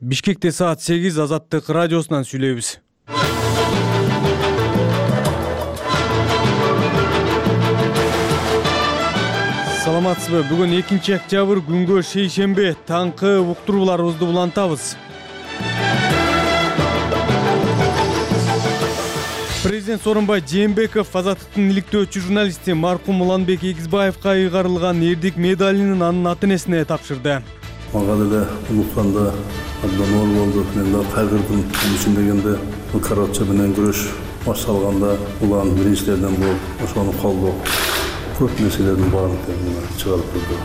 Бишкекте саат 8 Азаттык радиосунан сүйлөйбүз. Саламатсызбы? Бүгүн 2-октябрь күнгө шейшембе. Таңкы уктурууларыбызды улантабыз. Президент Сооронбай Жээнбеков Азаттыктын иликтөөчү журналисти маркум Уланбек Эгизбаевка ыйгарылган эрдик медалын анын ата-энесине тапшырды. Мага деле улутканда абдан оор болду. Мен да кайгырдым. Үчүн дегенде бул коррупция менен күрөш башталганда улан биринчилерден болуп, ошону колдоо көп нерселердин баарын чыгарып турду.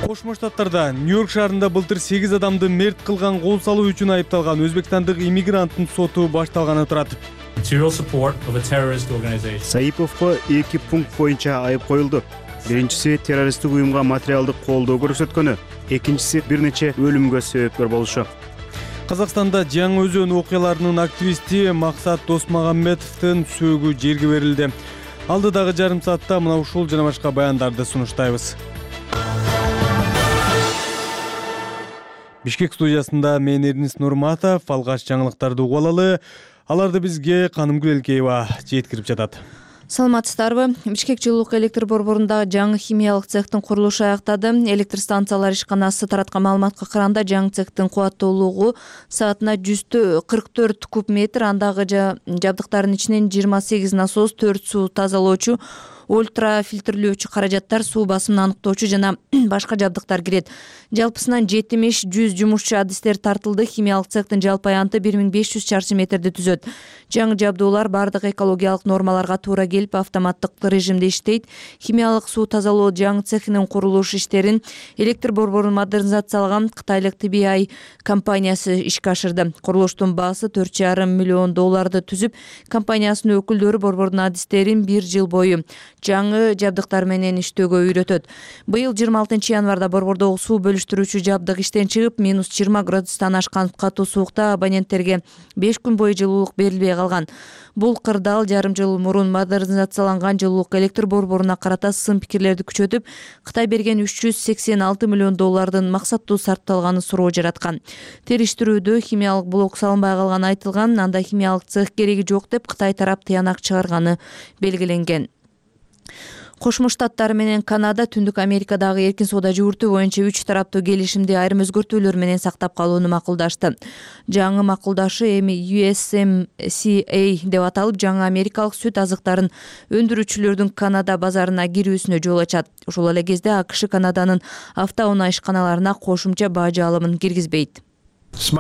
Кошмо Штаттарда Нью-Йорк шаарында былтыр 8 адамды мерт кылган кол салуу үчүн айыпталган өзбекстандык иммигранттын соту башталганы турат. Саиповго 2 пункт боюнча айып коюлду. Биринчиси террористтик уюмга материалдык колдоо көрсөткөнү, экинчиси бир нече өлүмгө себепкер болушу. Казакстанда Жаңы Өзөн окуяларынын активисти Максат Досмагамбетовдун сөөгү жерге берилди. Алдыдагы жарым саатта мына ушул жана башка баяндарды сунуштайбыз. Бишкек студиясында мен Эрнис Нурматов, алгач жаңылыктарды угуп алалы. Аларды бизге Канымгүл Элкеева жеткирип жатат. Саламатсыздарбы? Бишкек жылуулук электр борборундагы жаңы химиялык цехтин курулушу аяктады. Электр станциялар ишканасы тараткан маалыматка караганда жаңы цехтин кубаттуулугу саатына 144 куб метр, андагы жабдыктардын ичинен 28 насос, 4 суу тазалоочу, ультрафильтрлөөчү каражаттар, суу басымын аныктоочу жана башка жабдыктар кирет. Жалпысынан 70-100 жумушчу адистер тартылды. Химиялык цехтин жалпы аянты 1500 чарчы метрди түзөт. Жаңы жабдуулар бардык экологиялык нормаларга туура келип, автоматтык режимде иштейт. Химиялык суу тазалоо жаңы цехинин курулуш иштерин электр борборун модернизациялаган кытайлык TBI компаниясы ишке ашырды. Курулуштун баасы $4,5 миллион түзүп, компаниясынын өкүлдөрү борбордун адистерин 1 жыл бою жаңы жабдыктар менен иштөөгө үйрөтөт. Быйыл 26 январда борбордогу суу бөлүштүрүүчү жабдык иштен чыгып, -20 градустан ашкан катуу суукта абоненттерге 5 күн бою жылуулук берилбей калган. Бул кырдаал жарым жыл мурун модернизацияланган жылуулук электр борборуна карата сын пикирлерди күчөтүп, Кытай берген $386 миллион максаттуу сарпталганын суроо жараткан. Териштирүүдө химиялык блок салынбай калганы айтылган, анда химиялык цех кереги жок деп Кытай тарап тыянак чыгарганы белгиленген. Кошмо Штаттар менен Канада Түндүк Америкадагы эркин соода жүгүртүү боюнча 3 тараптуу келишимди айрым өзгөртүүлөр менен сактап калууну макулдашты. Жаңы макулдашы эми USMCA деп аталып, жаңы америкалык сүт азыктарын өндүрүүчүлөрдүн Канада базарына кирүүсүнө жол ачат. Ошол эле кезде АКШ Канаданын автоунаа ишканаларына кошумча бажы алымын киргизбейт. Биз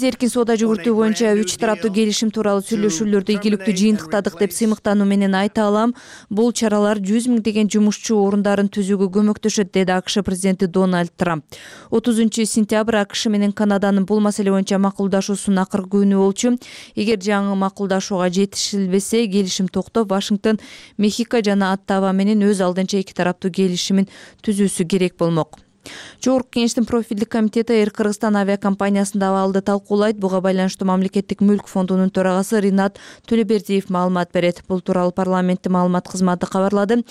эркин соода жүгүртүү боюнча 3 тараптуу келишим тууралуу сүйлөшүүлөрдү ийгиликтүү жыйынтыктадык деп сыймыктануу менен айта алам. Бул чаралар 100 миңдеген жумушчу орундарын түзүүгө көмөктөшөт, деди АКШ президенти Дональд Трамп. 30 сентябрь АКШ менен Канаданын бул маселе боюнча макулдашуусунун акыркы күнү болчу. Эгер жаңы макулдашууга жетишилбесе, келишим токтоп, Вашингтон, Мехико жана Оттава менен өз алдынча 2 тараптуу келишимин түзүүсү керек болмок. Жогорку кеңештин профилдик комитети Air Кыргызстан авиакомпаниясында абалды талкуулайт. Буга байланыштуу мамлекеттик мүлк фондунун төрагасы Ринат Төлөбердиев маалымат берет. Бул тууралуу парламенттин маалымат кызматы кабарлады.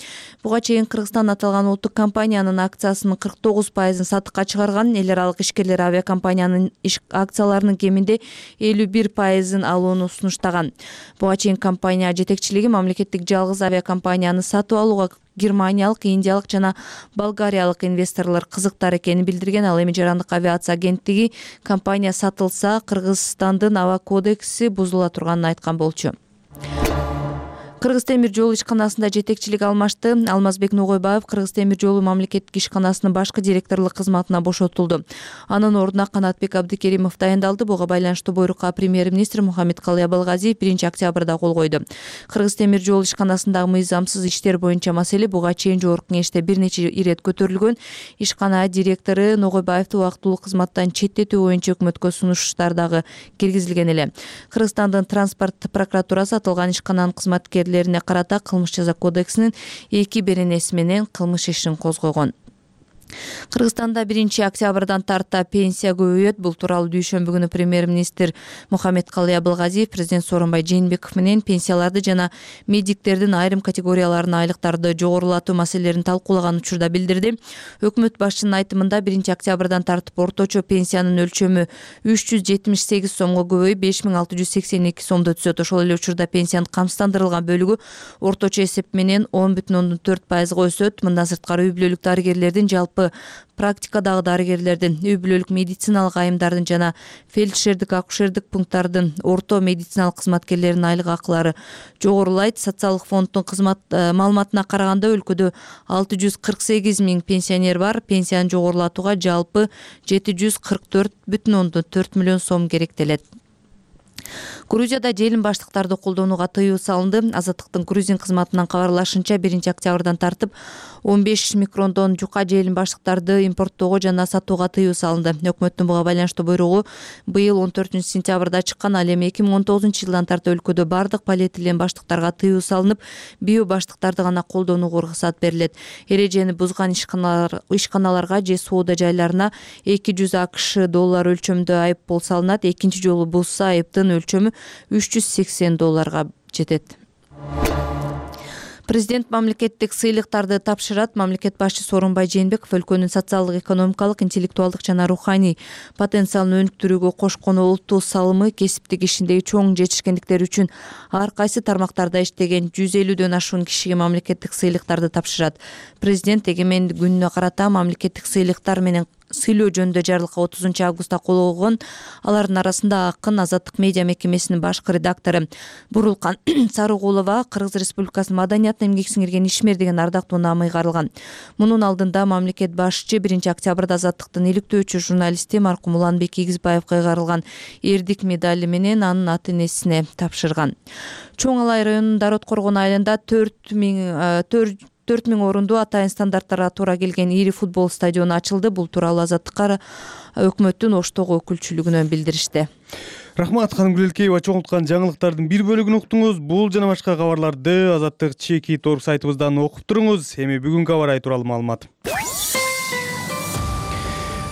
Буга чейин Кыргызстан аталган улуттук компаниянын акциясынын 49% сатыкка чыгарган. Эл аралык ишкерлер авиакомпаниянын акцияларынын кеминде 51% алууну сунуштаган. Буга чейин компания жетекчилиги мамлекеттик жалгыз авиакомпанияны сатып алууга германиялык, индиялык жана болгариялык инвесторлор кызыктар экенин билдирген. Ал эми жарандык авиация агенттиги компания сатылса, Кыргызстандын аба кодекси бузула турганын айткан болчу. Кыргыз темир жолу ишканасында жетекчилик алмашты. Алмазбек Ногойбаев Кыргыз темир жолу мамлекеттик ишканасынын башкы директорлук кызматына бошотулду. Анын ордуна Канатбек Абдыкеримов дайындалды. Буга байланыштуу буйрукка премьер-министр Мухаммедкалый Абылгазиев 1 октябрда кол койду. Кыргыз темир жолу ишканасындагы мыйзамсыз иштер боюнча маселе буга чейин жогорку кеңеште бир нече ирет көтөрүлгөн. Ишкана директору Ногойбаевди убактылуу кызматтан четтетүү боюнча өкмөткө сунуштар дагы киргизилген эле. Кыргызстандын транспорт прокуратурасы аталган ишкананын кызматкерлерине карата кылмыш жаза кодексинин 2 беренеси менен кылмыш ишин козгогон. Кыргызстанда 1-октябрдан тарта пенсия көбөйөт. Бул тууралуу дүйшөмбү күнү премьер-министр Мухаммедкалый Абылгазиев президент Сооронбай Жээнбеков менен пенсияларды жана медиктердин айрым категорияларына айлыктарды жогорулатуу маселелерин талкуулаган учурда билдирди. Өкмөт башчынын айтымында 1-октябрдан тартып орточо пенсиянын өлчөмү 378 сомго көбөйүп 5682 сомдо түзөт. Ошол эле учурда пенсиянын камсыздандырылган бөлүгү орточо эсеп менен 10,4%га өсөт. Мындан сырткары үй бүлөлүк дарыгерлердин, жалпы практикадагы дарыгерлердин, үй бүлөлүк медициналык айымдардын жана фельдшердик, акушердик пункттардын орто медициналык кызматкерлеринин айлык акылары жогорулайт. Социалдык фонддун кызмат маалыматына караганда өлкөдө 648 миң пенсионер бар. Пенсияны жогорулатууга жалпы 744,4 миллион сом керектелет. Грузияда желим баштыктарды колдонууга тыюу салынды. Азаттыктын грузин кызматынан кабарлашынча 1-октябрдан тартып 15 микрондон жука желим баштыктарды импорттоого жана сатууга тыюу салынды. Өкмөттүн буга байланыштуу буйругу быйыл 14-сентябрда чыккан. Ал эми 2019-жылдан тартып өлкөдө бардык полиэтилен баштыктарга тыюу салынып, био баштыктарды гана колдонууга уруксат берилет. Эрежени бузган ишканаларга же соода жайларына $200 өлчөмдө айыппул салынат. Экинчи жолу бузса айыптын өлчөмү $380 жетет. Президент мамлекеттик сыйлыктарды тапшырат. Мамлекет башчы Сооронбай Жээнбеков өлкөнүн социалдык, экономикалык, интеллектуалдык жана руханий потенциалын өнүктүрүүгө кошкон олуттуу салымы, кесиптик ишиндеги чоң жетишкендиктери үчүн ар кайсы тармактарда иштеген 150дөн ашуун кишиге мамлекеттик сыйлыктарды тапшырат. Президент эгемендик күнүнө карата мамлекеттик сыйлыктар менен сыйлоо жөнүндө жарлыкка 30-августта кол койгон. Алардын арасында Акын, Азаттык медиа мекемесинин башкы редактору Бурулкан Сарыгулова, Кыргыз Республикасынын маданиятына эмгек сиңирген ишмер деген ардактуу наамы ыйгарылган. Мунун алдында мамлекет башчы 1-октябрда Азаттыктын иликтөөчү журналисти маркум Уланбек Ийгизбаевга ыйгарылган эрдик медали менен анын ата-энесине тапшырган. Чоң Алай районунун Дарот Коргон айылында 4 миң орундуу атайын стандарттарга туура келген ири футбол стадиону ачылды. Бул тууралуу Азаттыкка өкмөттүн Оштогу өкүлчүлүгүнөн билдиришти. Рахмат, Ханым Гүлелкеева. Чоңулткан жаңылыктардын бир бөлүгүн уктуңуз. Бул жана башка кабарларды Азаттык @org сайтыбыздан окуп туруңуз. Эми бүгүнкү кабар ай тууралуу маалымат.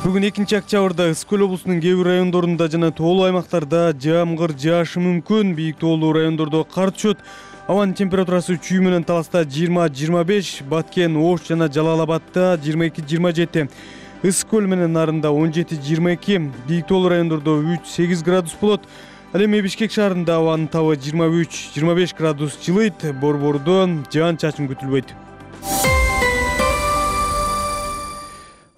Бүгүн 2-октябрда Ысык Көл облусунун кээ бир райондорунда жана тоолуу аймактарда жамгыр жаашы мүмкүн. Бийик тоолуу райондордо кар түшөт. Абанын температурасы Чүй менен Таласта 20-25, Баткен, Ош жана Жалал Абадта 22-27, Ысык Көл менен Нарында 17-22, бийик тоолуу райондордо 3-8 градус болот. Ал эми Бишкек шаарында абанын табы 23-25 градус жылыйт. Борбордо жаан-чачын күтүлбөйт.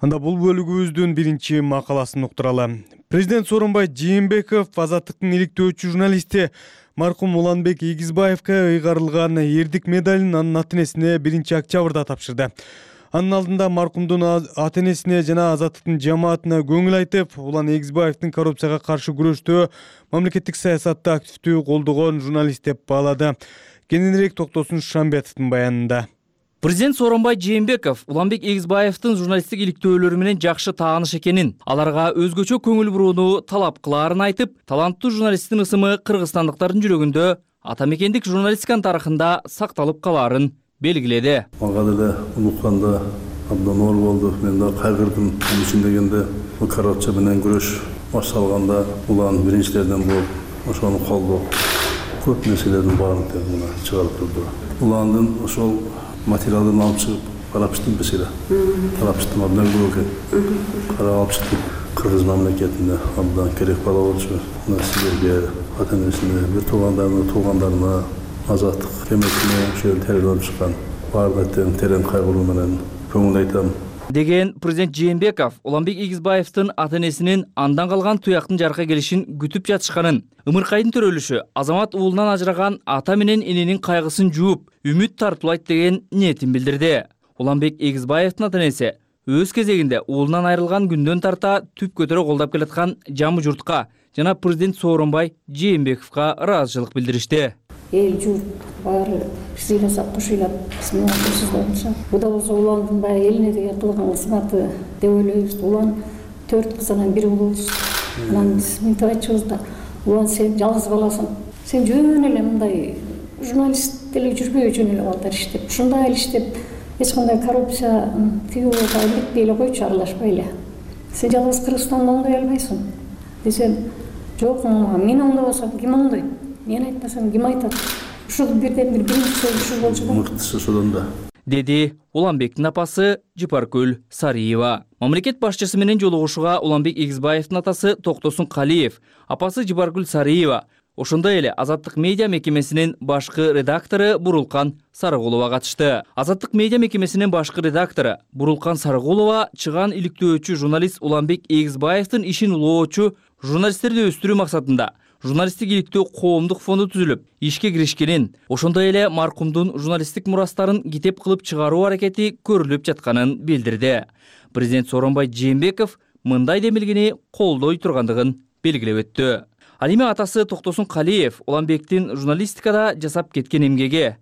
Анда бул бөлүгүбүздүн биринчи макаласын уктуралы. Президент Сооронбай Жээнбеков Азаттыктын иликтөөчү журналисти маркум Уланбек Ийгизбаевка ыйгарылган эрдик медалин анын ата-энесине 1-октябрда тапшырды. Анын алдында маркумдун ата-энесине жана Азаттыктын жамаатына көңүл айтып, Улан Ийгизбаевдин коррупцияга каршы күрөштө мамлекеттик саясатты активдүү колдогон журналист деп баалады. Кененирээк токтосун Шамбетовдун баянында. Президент Сооронбай Жээнбеков Уланбек Ийгизбаевдин журналисттик иликтөөлөрү менен жакшы тааныш экенин, аларга өзгөчө көңүл бурууну талап кылаарын айтып, таланттуу журналисттин ысымы кыргызстандыктардын жүрөгүндө ата мекендик журналистиканын тарыхында сакталып калаарын белгиледи. Мага деле унукканда абдан оор болду. Мен да кайгырдым. Бул үчүн дегенде коррупция менен күрөш башталганда улан биринчилерден болуп, ошону колдоп, көп нерселердин баарын чыгарып турду. Уландын ошол материалын алып чыгып карап чыктым бесире. Карап чыктым абдан көп экен. Карап алып чыктым. Кыргыз мамлекетине абдан керек бала болчу. Мына силерге, ата-энесине, бир туугандарына, Азаттык кемесине ошол терелеп чыккан баардык терең кайгыруу менен көңүл айтам. Деген президент Жээнбеков Уланбек Ийгизбаевдин ата-энесинин андан калган туяктын жарка келишин күтүп жатышканын, ымыркайдын төрөлүшү Азамат уулунан ажыраган ата менен эненин кайгысын жууп, үмүт тартуулайт деген ниетин билдирди. Уланбек Ийгизбаевдин ата-энеси өз кезегинде уулунан айрылган күндөн тарта түп көтөрө колдоп келаткан жамы журтка жана президент Сооронбай Жээнбековго ыраазычылык билдиришти. Эл журт баары сыйласап, кошуйлап, бисмиллахи болчу. Буда болсо Уландын баягы элине деген кылган кызматы деп ойлойбуз. Улан 4 кызынан бири болчу. Анан мынтип айтчубуз да, Улан сен жалгыз баласың. Сен жөн эле мындай журналист деле жүрбөй жөн эле балдар иштеп, ушундай эле иштеп, эч кандай коррупция тыюуга иликтей эле койчу, аралашпай эле. Сен жалгыз Кыргызстанда оңдой албайсың десем, жок, мен оңдобосом ким оңдойт? Мен айтпасам ким айтат? Ушул бирден бир биринчи ушул болчу да. Мыктысы ошодон да. Деди Уланбектин апасы Жыпаркүл Сариева. Мамлекет башчысы менен жолугушууга Уланбек Эгизбаевдин атасы Токтосун Калиев, апасы Жыпаркүл Сариева, ошондой эле Азаттык медиа мекемесинин башкы редактору Бурулкан Сарыгулова катышты. Азаттык медиа мекемесинин башкы редактору Бурулкан Сарыгулова чыган иликтөөчү журналист Уланбек Эгизбаевдин ишин улоочу журналисттерди өстүрүү максатында журналисттик иликтөө коомдук фонду түзүлүп, ишке киришкенин, ошондой эле маркумдун журналисттик мурастарын китеп кылып чыгаруу аракети көрүлүп жатканын билдирди. Президент Сооронбай Жээнбеков мындай демилгени колдой тургандыгын белгилеп өттү. Ал эми атасы Токтосун Калиев Уланбектин журналистикада жасап кеткен эмгеги,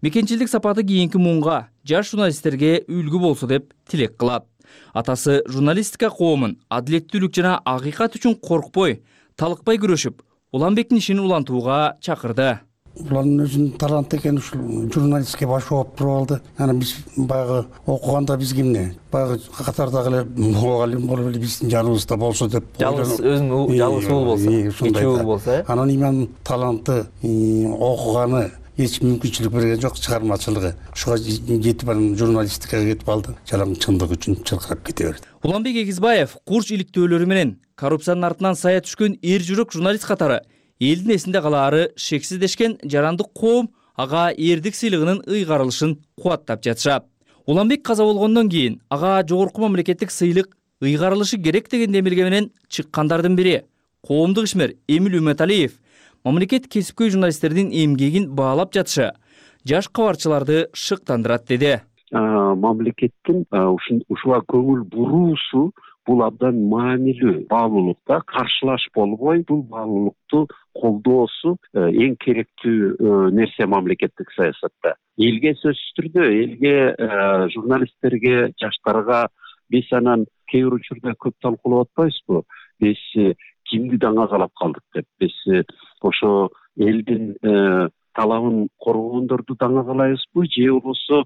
мекенчилдик сапаты кийинки муунга, жаш журналисттерге үлгү болсо деп тилек кылат. Атасы журналистика коомун адилеттүүлүк жана акыйкат үчүн коркпой, талыкпай күрөшүп, Уланбектин ишин улантууга чакырды. Улардын өзүнүн таланты экен, ушул журналистке баш ооп туруп алды. Анан биз баягы окуганда биз кимне? Баягы катардагы эле мугалим болуп эле биздин жаныбызда болсо деп. Жалгыз өзүң жалгыз уул болсо, эки уул болсо. Анан имам таланты, окуганы эч мүмкүнчүлүк берген жок, чыгармачылыгы. Ошого жетип анан журналистикага кетип алды. Жалаң чындык үчүн чыркырап кете берди. Уланбек Эгизбаев курч иликтөөлөрү менен коррупциянын артынан сая түшкөн эр жүрөк журналист катары элдин эсинде калаары шексиздешкен жарандык коом ага эрдик сыйлыгынын ыйгарылышын кубаттап жатышат. Уланбек каза болгондон кийин ага жогорку мамлекеттик сыйлык ыйгарылышы керек деген демилге менен чыккандардын бири коомдук ишмер Эмил Үмөталиев мамлекет кесипкөй журналисттердин эмгегин баалап жатышы жаш кабарчыларды шыктандырат деди. Мамлекеттин ушуга көңүл буруусу бул абдан маанилүү баалуулукта, каршылаш болбой бул баалуулукту колдоосу эң керектүү нерсе мамлекеттик саясатта. Элге сөзсүз түрдө, элге, журналисттерге, жаштарга биз анан кээ бир учурда көп талкуулап атпайбызбы? Биз кимди даңазалап калдык деп. Биз ошо элдин талабын коргогондорду даңазалайбызбы, же болбосо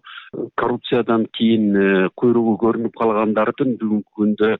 коррупциядан кийин куйругу көрүнүп калгандардын бүгүнкү күндө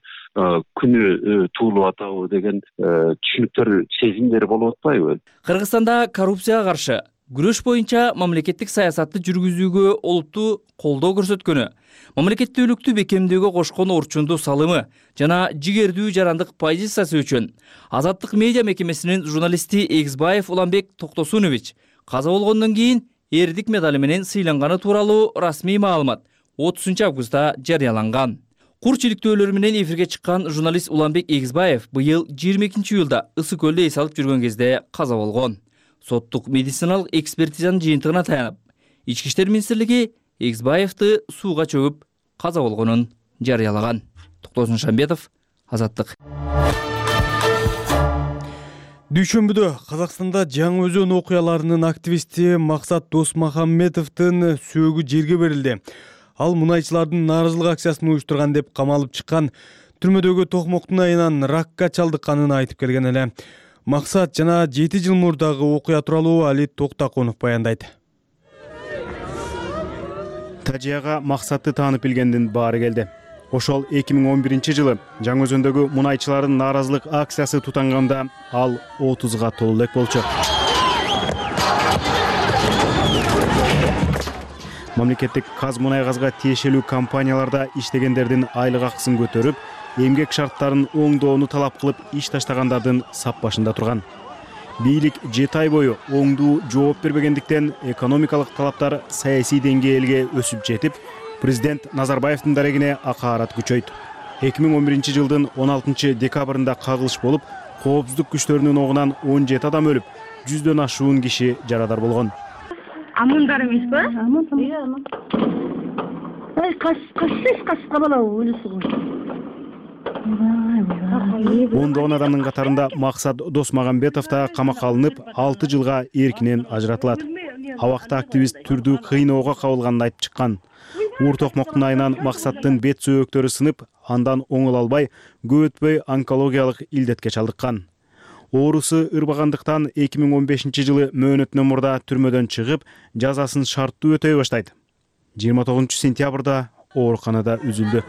күнү туулуп атабы деген түшүнүктөр, сезимдер болуп атпайбы? Кыргызстанда коррупцияга каршы күрөш боюнча мамлекеттик саясатты жүргүзүүгө олуттуу колдоо көрсөткөнү, мамлекеттүүлүктү бекемдөөгө кошкон орчундуу салымы жана жигердүү жарандык позициясы үчүн Азаттык медиа мекемесинин журналисти Эгизбаев Уланбек Токтосунович каза болгондон кийин эрдик медали менен сыйланганы тууралуу расмий маалымат 30 августта жарыяланган. Курч иликтөөлөрү менен эфирге чыккан журналист Уланбек Эгизбаев быйыл 22 июлда Ысык көлдө эс алып жүргөн кезде каза болгон. Соттук медициналык экспертизанын жыйынтыгына таянып, Ички иштер министрлиги Эгизбаевди сууга чөгүп каза болгонун жарыялаган. Токтосун Шамбетов, Азаттык. Дүйшөмбүдө Казакстанда Жаңы Өзөн окуяларынын активисти Максат Досмахамбетовдун сөөгү жерге берилди. Ал мунайчылардын нааразылык акциясын уюштурган деп камалып чыккан, түрмөдөгү токмоктун айынан ракка чалдыкканын айтып келген эле. Максат жана 7 жыл мурдагы окуя тууралуу Али Токтаконов баяндайт. Тажияга Максатты таанып билгендин баары келди. Ошол 2011 Жаңы Өзөндөгү мунайчылардын нааразылык акциясы тутанганда ал 30га толуу элек болчу. Мамлекеттик Казмунайгазга тиешелүү компанияларда иштегендердин айлык акысын көтөрүп, эмгек шарттарын оңдоону талап кылып иш таштагандардын сап башында турган. Бийлик 7 ай бою оңдуу жооп бербегендиктен экономикалык талаптар саясий деңгээлге өсүп жетип, президент Назарбаевдин дарегине акаарат күчөйт. 2011 жылдын 16 декабрында кагылыш болуп, коопсуздук күчтөрүнүн огунан 17 адам өлүп, 100дөн ашуун киши жарадар болгон. Амандар эмеспи? Аман. Ай, кашка бала өлүсү го. Ондогон адамдын катарында Максат Досмагамбетов да камакка алынып, 6 жылга эркинен ажыратылат. Абакта активист түрдүү кыйноого кабылганын айтып чыккан. Уур токмоктун айынан Максаттын бет сөөктөрү сынып, андан оңол албай, көп өтпөй онкологиялык илдетке чалдыккан. Оорусу ырбагандыктан 2015 жылы мөөнөтүнөн мурда түрмөдөн чыгып, жазасын шарттуу өтөй баштайт. 29-сентябрда ооруканада үзүлдү.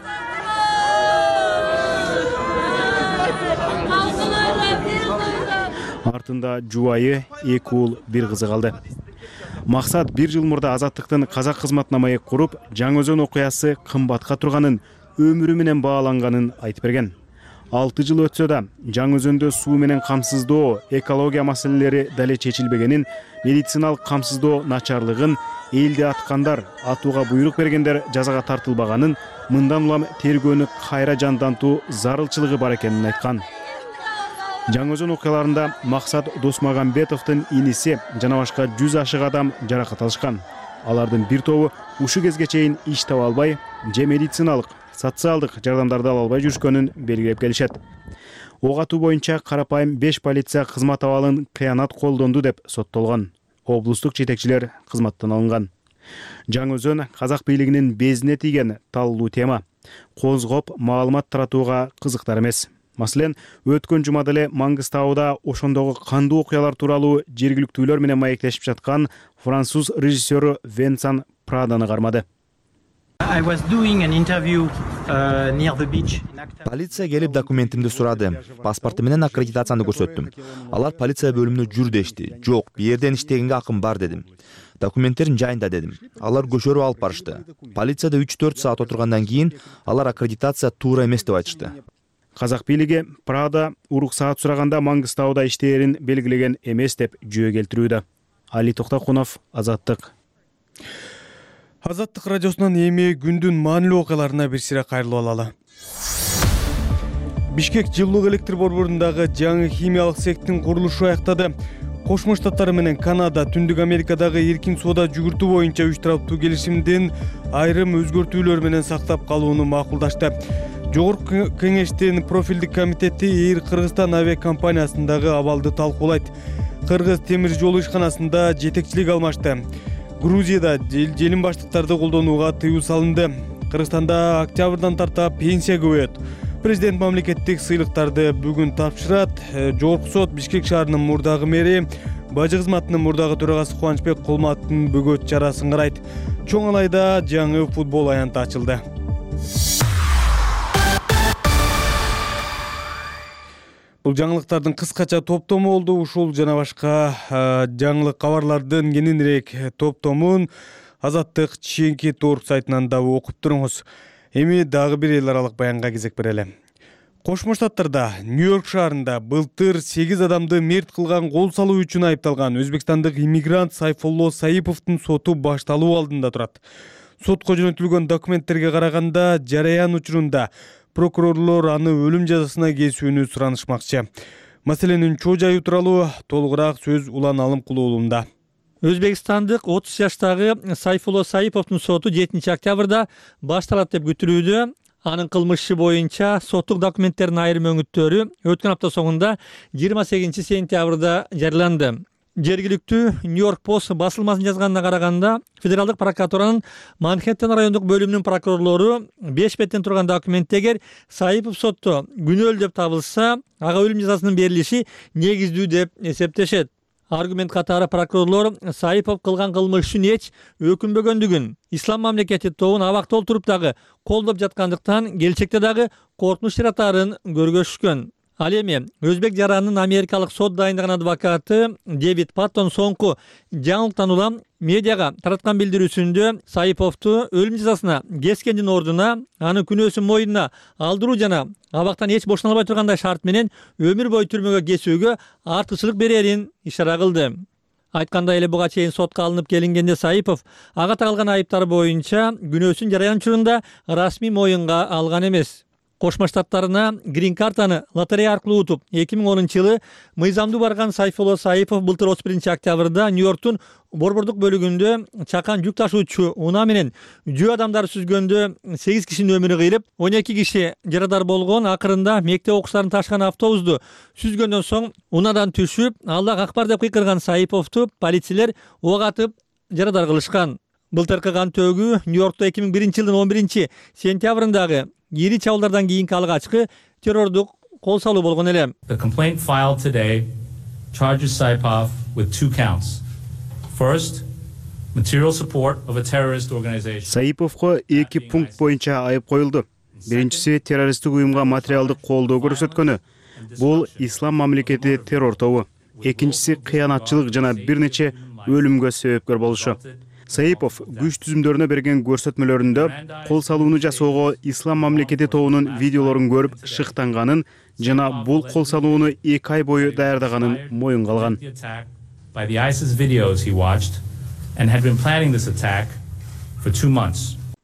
Артында жубайы, 2 уул, 1 кызы калды. Максат 1 жыл мурда Азаттыктын казак кызматына маек куруп, Жаңы-Өзөн окуясы кымбатка турганын, өмүрү менен бааланганын айтып берген. 6 жыл өтсө да Жаңы-Өзөндө суу менен камсыздоо, экология маселелери дале чечилбегенин, медициналык камсыздоо начарлыгын, элди аткандар, атууга буйрук бергендер жазага тартылбаганын, мындан улам тергөөнү кайра жандантуу зарылчылыгы бар экенин айткан. Жаңы-Өзөн окуяларында Максат Досмагамбетовдун иниси жана башка 100 ашык адам жаракат алышкан. Алардын бир тобу ушу кезге чейин иш таба албай, же медициналык, социалдык жардамдарды ала албай жүрүшкөнүн белгилеп келишет. Ок атуу боюнча карапайым 5 полиция кызмат абалын кыянат колдонду деп соттолгон. Облустук жетекчилер кызматтан алынган. Жаңы-Өзөн казак бийлигинин безине тийген таллуу тема. Козгоп маалымат таратууга кызыктар эмес. Маселен, өткөн жумада эле Маңгыстауда ошондогу кандуу окуялар тууралуу жергиликтүүлөр менен маектешип жаткан француз режиссеру Венсан Праданы кармады. Полиция келип документимди сурады. Паспорту менен аккредитацияны көрсөттүм. Алар полиция бөлүмүнө жүр дешти. Жок, бу жерден иштегенге акым бар дедим. Документтерин жайында дедим. Алар көчөрүп алып барышты. Полицияда 3-4 саат отургандан кийин алар аккредитация туура эмес деп айтышты. Казак бийлиги Прада уруксаат сураганда Маңгыстауда иштээрин белгилеген эмес деп жөө келтирүүдө. Али Токтокунов, Азаттык. Азаттык радиосунан эми күндүн маанилүү окуяларына бир сире кайрылып алалы. Бишкек жылуулук электр борборундагы жаңы химиялык цехтин курулушу аяктады. Кошмо Штаттар менен Канада Түндүк Америкадагы эркин соода жүгүртүү боюнча 3 тараптуу келишимдин айрым өзгөртүүлөр менен сактап калууну макулдашты. Жогорку кеңештин профилдик комитети Эйр Кыргызстан авиакомпаниясындагы абалды талкуулайт. Кыргыз темир жолу ишканасында жетекчилик алмашты. Грузияда желим баштыктарды колдонууга тыюу салынды. Кыргызстанда октябрдан тарта пенсия көбөйөт. Президент мамлекеттик сыйлыктарды бүгүн тапшырат. Жогорку сот Бишкек шаарынын мурдагы мэри, бажы кызматынын мурдагы төрагасы Кубанычбек Кулматтын бөгөт чарасын карайт. Чоң Алайда жаңы футбол аянты ачылды. Бул жаңылыктардын кыскача топтому болду. Ушул жана башка жаңылык кабарлардын кененирээк топтомун Азаттык чейинки торг сайтынан да окуп туруңуз. Эми дагы бир эл аралык баянга кезек берели. Кошмо Штаттарда Нью-Йорк шаарында былтыр 8 адамды мерт кылган кол салуу үчүн айыпталган өзбекстандык иммигрант Сайфулло Саиповдун соту башталуу алдында турат. Сотко жөнөтүлгөн документтерге караганда жараян учурунда прокурорлор аны өлүм жазасына кесүүнү суранышмакчы. Маселенин чоо жайы тууралуу толугураак сөз Улан Алымкулуу уулунда. Өзбекстандык 30 жаштагы Сайфулло Саиповдун соту 7 октябрда башталат деп күтүлүүдө. Анын кылмышы боюнча соттук документтердин айрым өңүттөрү өткөн апта соңунда 28 сентябрда жарыяланды. Жергиликтүү Нью-Йорк Пост басылмасынын жазганына караганда, федералдык прокуратуранын Манхэттен райондук бөлүмүнүн прокурорлору 5 беттен турган документтегер Саипов сотто күнөөлүү деп табылса, ага өлүм жазасынын берилиши негиздүү деп эсептешет. Аргумент катары прокурорлор Саипов кылган кылмыш үчүн эч өкүнбөгөндүгүн, ислам мамлекети тобун абакта олтуруп дагы колдоп жаткандыктан келечекте дагы коркунуч жаратаарын көргөзүшкөн. Ал эми өзбек жаранынын америкалык сот дайындаган адвокаты Дэвид Паттон соңку жаңылыктан улам медиага тараткан билдирүүсүндө Саиповду өлүм жазасына кескендин ордуна аны күнөөсүн мойнуна алдыруу жана абактан эч бошоно албай тургандай шарт менен өмүр бою түрмөгө кесүүгө артыкчылык берерин ишара кылды. Айткандай эле буга чейин сотко алынып келингенде Саипов ага тагылган айыптар боюнча күнөөсүн жараян учурунда расмий моюнга алган эмес. Кошмо Штаттарына грин картаны лотерея аркылуу утуп 2010-жылы мыйзамдуу барган Сайфулло Саипов былтыр 31 октябрда Нью-Йорктун борбордук бөлүгүндө чакан жүк ташуучу унаа менен жөө адамдар сүзгөндө 8 кишинин өмүрү кыйылып, 12 киши жарадар болгон. Акырында мектеп окуучуларын ташыган автобусту сүзгөндөн соң унаадан түшүп, Аллах акбар деп кыйкырган Саиповду полициялер ок атып жарадар кылышкан. Былтыркы кантөөгү Нью-Йоркто 2001-жылдын 11 сентябрындагы ири чабуулдардан кийинки алгачкы террордук кол салуу болгон эле. The complaint filed today charges Saipov with 2 counts. First, Саиповго 2 пункт боюнча айып коюлду. Биринчиси террористтик уюмга материалдык колдоо көрсөткөнү. Бул ислам мамлекети террор тобу. Экинчиси кыянатчылык жана бир нече өлүмгө себепкер болушу. Саипов күч түзүмдөрүнө берген көрсөтмөлөрүндө кол салууну жасоого ислам мамлекети тобунун видеолорун көрүп шыктанганын жана бул кол салууну 2 ай бою даярдаганын моюнга алган.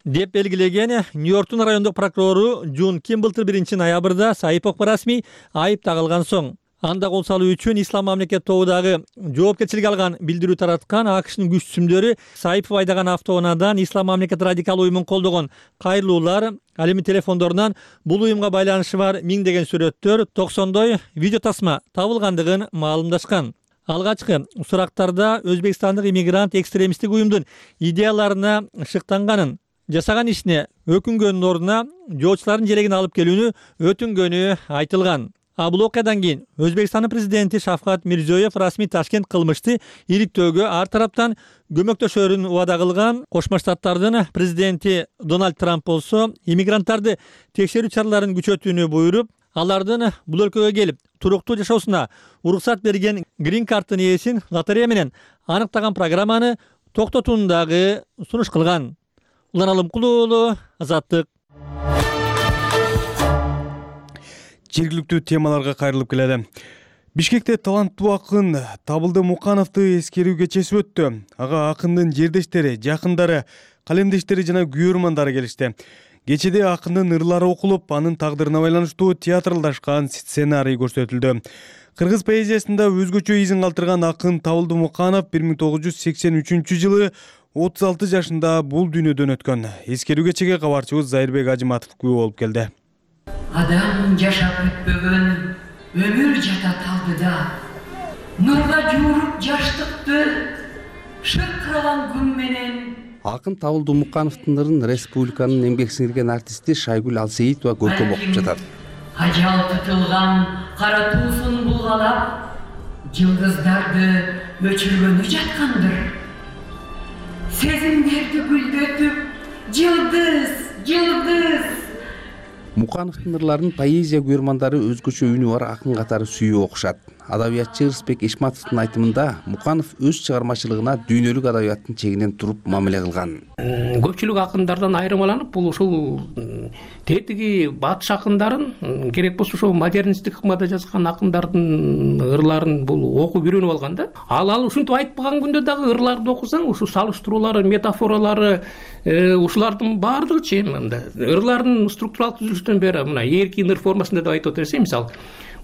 Деп белгилеген Нью-Йорктун райондук прокурору Джун Кимблтер 1-ноябрда Саиповго расмий айып тагылган соң анда кол салуу үчүн ислам мамлекет тобудагы жоопкерчилик алган билдирүү тараткан АКШнын күч түзүмдөрү Саипов айдаган автоунаадан ислам мамлекет радикал уюмун колдогон кайрылуулар, ал эми телефондорунан бул уюмга байланышы бар миңдеген сүрөттөр, 90дой видео тасма табылгандыгын маалымдашкан. Алгачкы сурактарда Өзбекстандык иммигрант экстремисттик уюмдун идеяларына шыктанганын, жасаган ишине өкүнгөнүн ордуна жоочулардын желегин алып келүүнү өтүнгөнү айтылган. Бул окуядан кийин Өзбекстандын президенти Шавкат Мирзиёев расмий Ташкент кылмышты иликтөөгө ар тараптан көмөктөшөрүн убада кылган. Кошмо Штаттардын президенти Дональд Трамп болсо иммигранттарды текшерүү чараларын күчөтүүнү буйруп, алардын бул өлкөгө келип туруктуу жашоосуна уруксат берген грин карттын ээсин лотерея менен аныктаган программаны токтотууну дагы сунуш кылган. Улан Алымкулуу уулу, Азаттык. Жергиликтүү темаларга кайрылып келели. Бишкекте таланттуу акын Табылды Мукановду эскерүү кечеси өттү. Ага акындын жердештери, жакындары, калемдештери жана күйөрмандары келишти. Кечеде акындын ырлары окулуп, анын тагдырына байланыштуу театралдашкан сценарий көрсөтүлдү. Кыргыз поэзиясында өзгөчө изин калтырган акын Табылды Муканов 1983-жылы 36 жашында бул дүйнөдөн өткөн. Эскерүү кечеге кабарчыбыз Зайырбек Ажыматов күбө болуп келди. Адам жашап өтпөгөн өмүр жата талдыда, нурга жууруп жаштыкты шыркыраган күн менен. Акын Табылды Мукановдун ырын республиканын эмгек сиңирген артисти Шайгүл Алсейитова көркөм окуп жатат. Ажал тутулган кара туусун булгалап, жылдыздарды өчүргөнү жаткандыр. Сезимдерди гүлдөтүп, жылдыз. Мукановдун ырларын поэзия күйөрмандары өзгөчө үнү бар акын катары сүйүп окушат. Адабиятчы Ырысбек Ишматовдун айтымында Муканов өз чыгармачылыгына дүйнөлүк адабияттын чегинен туруп мамиле кылган. Көпчүлүк акындардан айырмаланып, бул ушул тетиги батыш акындарын, керек болсо ошол модернисттик ыкмада жазган акындардын ырларын бул окуп үйрөнүп алган да. Ал ушинтип айтпаган күндө дагы ырларды окусаң, ушу салыштыруулары, метафоралары, ушулардын баардыгычы мында ырлардын структуралык түзүлүшүнөн бери мына эркин ыр формасында деп айтып отурсыз, мисалы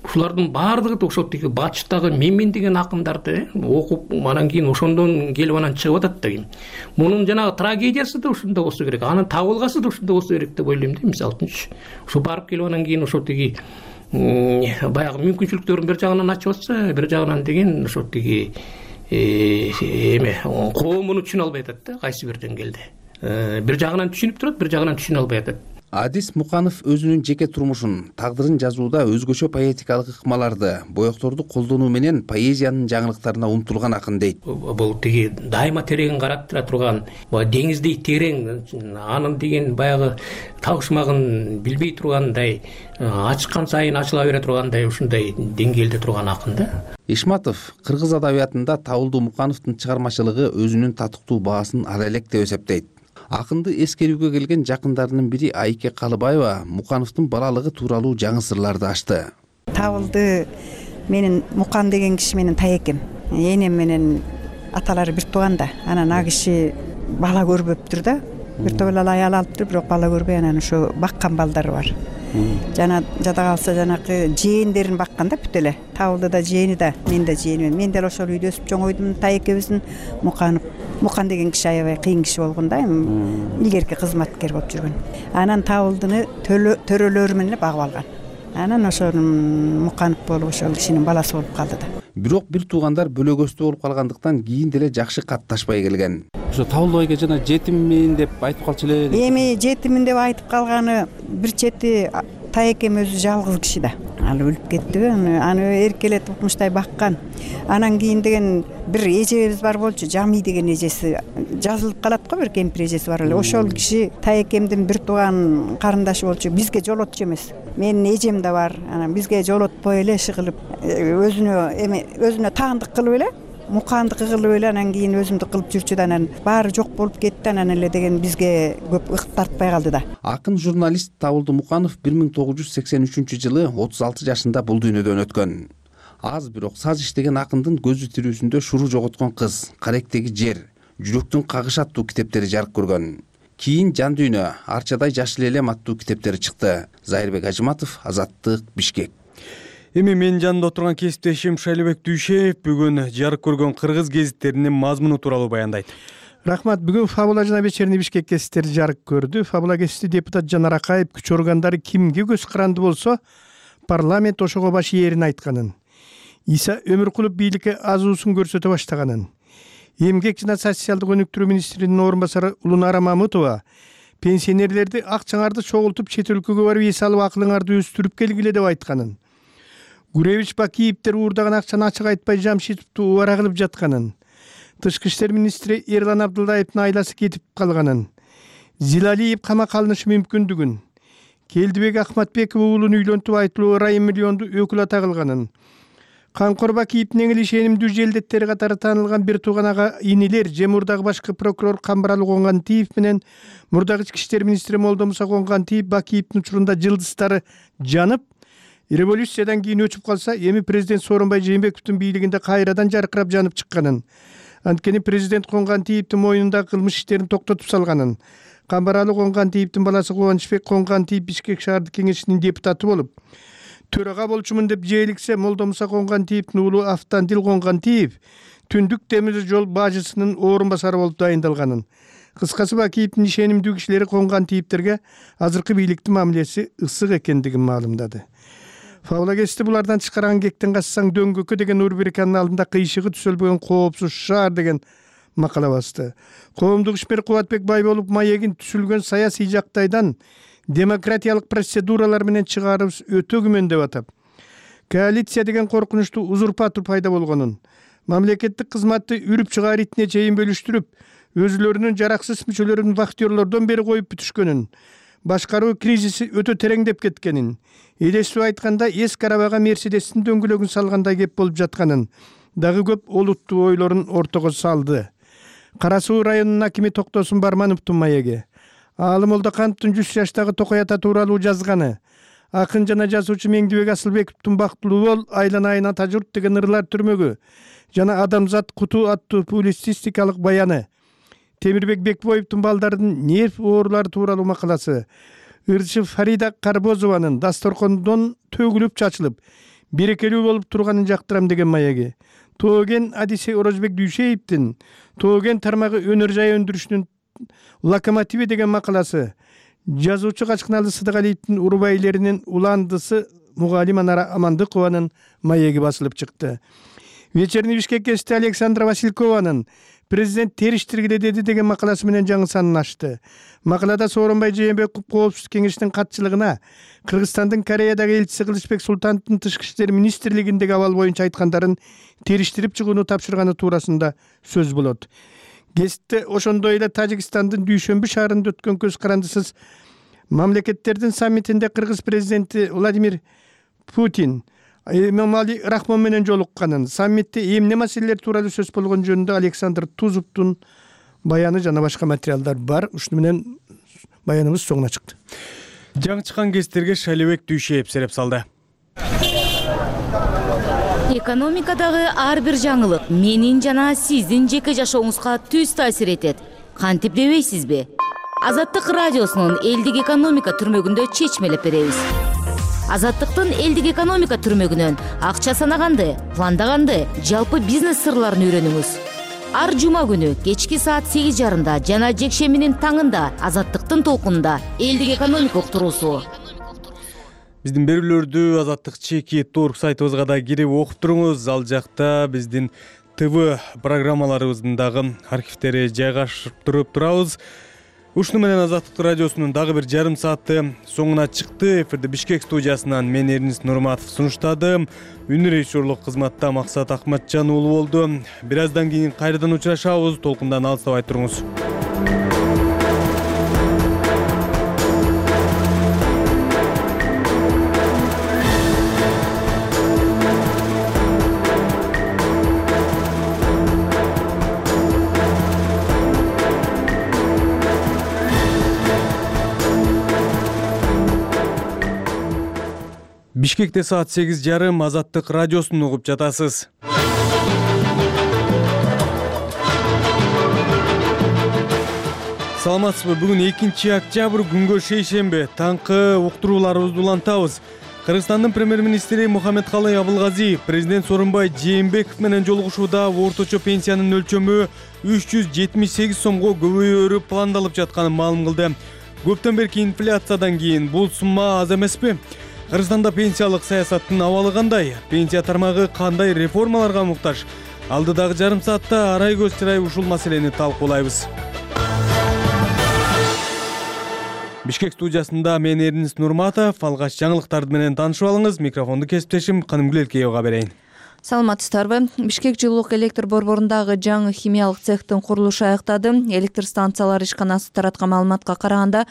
ушулардын баардыгы ошол тиги батыштагы менмен деген акындарды окуп, анан кийин ошондон келип анан чыгып атат да. Мунун жанагы трагедиясы да ушунда болсо керек, анын табылгасы да ушунда болсо керек деп ойлойм да. Мисалы үчүн ушу барып келип анан кийин ошол тиги баягы мүмкүнчүлүктөрүн бир жагынан ачып атса, бир жагынан деген ошол тиги коомун түшүнө албай атат да, кайсы бир деңгээлде. Бир жагынан түшүнүп турат, бир жагынан түшүнө албай атат. Адис Муканов өзүнүн жеке турмушун, тагдырын жазууда өзгөчө поэтикалык ыкмаларды, боекторду колдонуу менен поэзиянын жаңылыктарына умтулган акын дейт. Бул тиги дайыма тереңин карап турган, деңиздей терең, анын деген баягы табышмагын билбей тургандай, ачкан сайын ачыла бере тургандай ушундай деңгээлде турган акын да. Ишматов кыргыз адабиятында Табылды Мукановдун чыгармачылыгы өзүнүн татыктуу баасын ала элек деп эсептейт. Акынды эскерүүгө келген жакындарынын бири Айке Калыбаева Мукановдун балалыгы тууралуу жаңы сырларды ачты. Табылды менин Мукан деген киши менин таекем. Энем менен аталары бир тууган да. Анан а киши бала көрбөптүр да. Бир топ эле аял алыптыр, бирок бала көрбөй, анан ошо баккан балдары бар. Жана жада калса жанакы жээндерин баккан да бүт эле. Табылды да жээни да, мен да жээнимин. Мен деле ошол үйдө өсүп чоңойдум. Таекебиздин Мукан деген киши аябай кыйын киши болгон да, илгерки кызматкер болуп жүргөн. Анан Табылдыны төрөлөрү менен багып алган. Анан ошол Муканов болуп ошол кишинин баласы болуп калды да. Бирок бир туугандар бөлөгөстүү болуп калгандыктан кийин деле жакшы катташпай келген. Ошо Табылды айга жана жетиммин деп айтып калчу эле. Эми жетиммин деп айтып калганы бир чети таекем өзү жалгыз киши да. ал өлүп кеттиби, аны эркелетип укмуштай баккан. Анан кийин деген бир эжебиз бар болчу, Жамий деген эжеси жазылып калат го, бир кемпир эжеси бар эле. Ошол киши Таекемдин бир тууган карындашы болчу. Бизге жолотчу эмес. Менин эжем да бар. Анан бизге жолотпой эле иши кылып, өзүнө таандык кылып эле, мукандык кылып эле, анан кийин өзүмдүк кылып жүрчү да, анан баары жок болуп кетти. Анан эле деген бизге көп ыкт тартпай калды да. Акын журналист Табылды Муканов 1983-жылы 36 жашында бул дүйнөдөн өткөн. Аз бирок саз иштеген акындын көзү тирүүсүндө Шуру жоготкон кыз, Каректеги жер, Жүрөктүн кагышы аттуу китептери жарык көргөн. Кийин Жан дүйнө, Арчадай жашыл элем аттуу китептери чыкты. Зайырбек Ажыматов, Азаттык, Бишкек. Эми менин жанымда отурган кесиптешим Шайлыбек Дүйшеев бүгүн жарык көргөн кыргыз гезиттеринин мазмуну тууралуу баяндайт. Рахмат. Бүгүн Фабула жана Вечерний Бишкек гезиттери жарык көрдү. Фабула гезити депутат Жанар Акаев күч органдары кимге көз каранды болсо, парламент ошого баш ээрин айтканын. Иса Өмүркулов бийликке азуусун көрсөтө баштаганын. Эмгек жана социалдык өнүктүрүү министринин орун басары Улунара Мамытова пенсионерлерди акчаңарды чогултуп чет өлкөгө барып эс алып акылыңарды өстүрүп келгиле деп айтканын. Гуревич Бакиевдер уурдаган акчаны ачык айтпай Жамшитовду убара кылып жатканын. Тышкы иштер министри Эрлан Абдылдаевдин айласы кетип калганын. Зилалиев камакка алынышы мүмкүндүгүн. Келдибек Ахматбеков уулун үйлөнтүп айтылуу райым миллионду өкүл ата кылганын. Камкор Бакиевдин эң эле ишенимдүү желдеттери катары таанылган бир тууган ага инилер же мурдагы башкы прокурор Камбаралы Коңгантиев менен мурдагы ички иштер министри Молдомуса Коңгантиев Бакиевдин учурунда жылдыздары жанып, революциядан кийин өчүп калса, эми президент Сооронбай Жээнбековдун бийлигинде кайрадан жаркырап жанып чыкканын. Анткени президент Коңгантиевдин мойнундагы кылмыш иштерин токтотуп салганын. Камбаралы Коңгантиевдин баласы Кубанычбек Коңгантиев Бишкек шаардык кеңешинин депутаты болуп, төрага болчумун деп жээликсе, Молдомуса Коңгантиевдин уулу Автандил Коңгантиев түндүк темир жол бажысынын орун басары болуп дайындалганын. Кыскасы, Бакиевдин ишенимдүү кишилери Коңгантиевдерге азыркы бийликтин мамилеси ысык экендигин маалымдады. Фабула гезити булардан чыкарган Кектен кассаң дөңгөккө деген рубриканын алдында кыйшыгы түзөлбөгөн коопсуз шаар деген макала басты. Коомдук ишмер Кубатбек Байболов маегин түзүлгөн саясий жактайдан демократиялык процедуралар менен чыгарыбыз өтө күмөн деп атап, коалиция деген коркунучтуу узурпатор пайда болгонун, мамлекеттик кызматты үрүп чыгаар итине чейин бөлүштүрүп, өзүлөрүнүн жараксыз мүчөлөрүн вахтерлордон бери коюп бүтүшкөнүн, башкаруу кризиси өтө тереңдеп кеткенин, элестип айтканда эски арабага Мерседестин дөңгөлөгүн салгандай кеп болуп жатканын дагы көп олуттуу ойлорун ортого салды. Кара Суу районунун акими Токтосун Бармановдун маеги, Аалы Молдокановдун 100 жаштагы Токой ата тууралуу жазганы, акын жана жазуучу Меңдибек Асылбековдун Бактылуу бол айлана айына тажурт деген ырлар түрмөгү жана Адамзат куту аттуу публицистикалык баяны, Темирбек Бекбоевдун балдарынын нерв оорулары тууралуу макаласы, Ырчы Фарида Карбозованын дасторкондон төгүлүп чачылып, берекелүү болуп турганын жактырам деген маеги, Тооген Адисе Орозбек Дүйшеевдин Тооген тармагы өнөр жай өндүрүшүнүн локомотиви деген макаласы, жазуучу Качкыналы Сыдыгалиевдин урубайлеринин уландысы Мугалим Анара Амандыкованын маеги басылып чыкты. Вечерний Бишкек гезити Александра Василькованын президент териштиргиле деди деген макаласы менен жаңы санын ачты. Макалада Сооронбай Жээнбеков коопсуздук кеңешинин катчылыгына Кыргызстандын Кореядагы элчиси Кылычбек Султановдун тышкы иштер министрлигиндеги абал боюнча айткандарын териштирип чыгууну тапшырганы туурасында сөз болот. Гезитте ошондой эле Тажикстандын Дүйшөмбү шаарында өткөн көз карандысыз мамлекеттердин саммитинде кыргыз президенти Владимир Путин Эмомали Рахмон менен жолукканын, саммитте эмне маселелер тууралуу сөз болгон жөнүндө Александр Тузовдун баяны жана башка материалдар бар. Ушуну менен баяныбыз соңуна чыкты. Жаңы чыккан гезиттерге Шайлыбек Дүйшеев сереп салды. Экономикадагы ар бир жаңылык менин жана сиздин жеке жашооңузга түз таасир этет. Кантип дебейсизби? Азаттык радиосунун элдик экономика түрмөгүндө чечмелеп беребиз. Азаттыктын элдик экономика түрмөгүнөн акча санаганды, пландаганды, жалпы бизнес сырларын үйрөнүңүз. Ар жума күнү кечки саат 8:30 жана жекшембинин таңында Азаттыктын толкунунда элдик экономика уктуруусу. Биздин берүүлөрдү Азаттык чеки торг сайтыбызга да кирип окуп туруңуз. Ал жакта биздин ТВ программаларыбыздын дагы архивтери жайгашып турабыз. Ушуну менен Азаттык радиосунун дагы бир жарым сааты соңуна чыкты. Эфирди Бишкек студиясынан мен Эрнис Нурматов сунуштадым. Үнү режиссерлук кызматта Максат Акматжан уулу болду. Бир аздан кийин кайрадан учурашабыз. Толкундан алыстабай туруңуз. Бишкекте саат 8:30 Азаттык радиосун угуп жатасыз. Саламатсызбы? Бүгүн 2-октябрь күнгө шейшембе. Таңкы уктурууларыбызды улантабыз. Кыргызстандын премьер-министри Мухаммедкалый Абылгазиев президент Сооронбай Жээнбеков менен жолугушууда орточо пенсиянын өлчөмү 378 сомго көбөйөрү пландалып жатканын маалым кылды. Көптөн берки инфляциядан кийин бул сумма аз эмеспи? Кыргызстанда пенсиялык саясаттын абалы кандай? Пенсия тармагы кандай реформаларга муктаж? Алдыдагы жарым саатта арай көз чырай ушул маселени талкуулайбыз. Бишкек студиясында мен Эрнис Нурматов. Алгач жаңылыктарды менен таанышып алыңыз. Микрофонду кесиптешим Канымгүл Элкеевага берейин. Саламатсыздарбы? Бишкек жылуулук электр борборундагы жаңы химиялык цехтин курулушу аяктады. Электр станциялар ишканасы тараткан маалыматка караганда,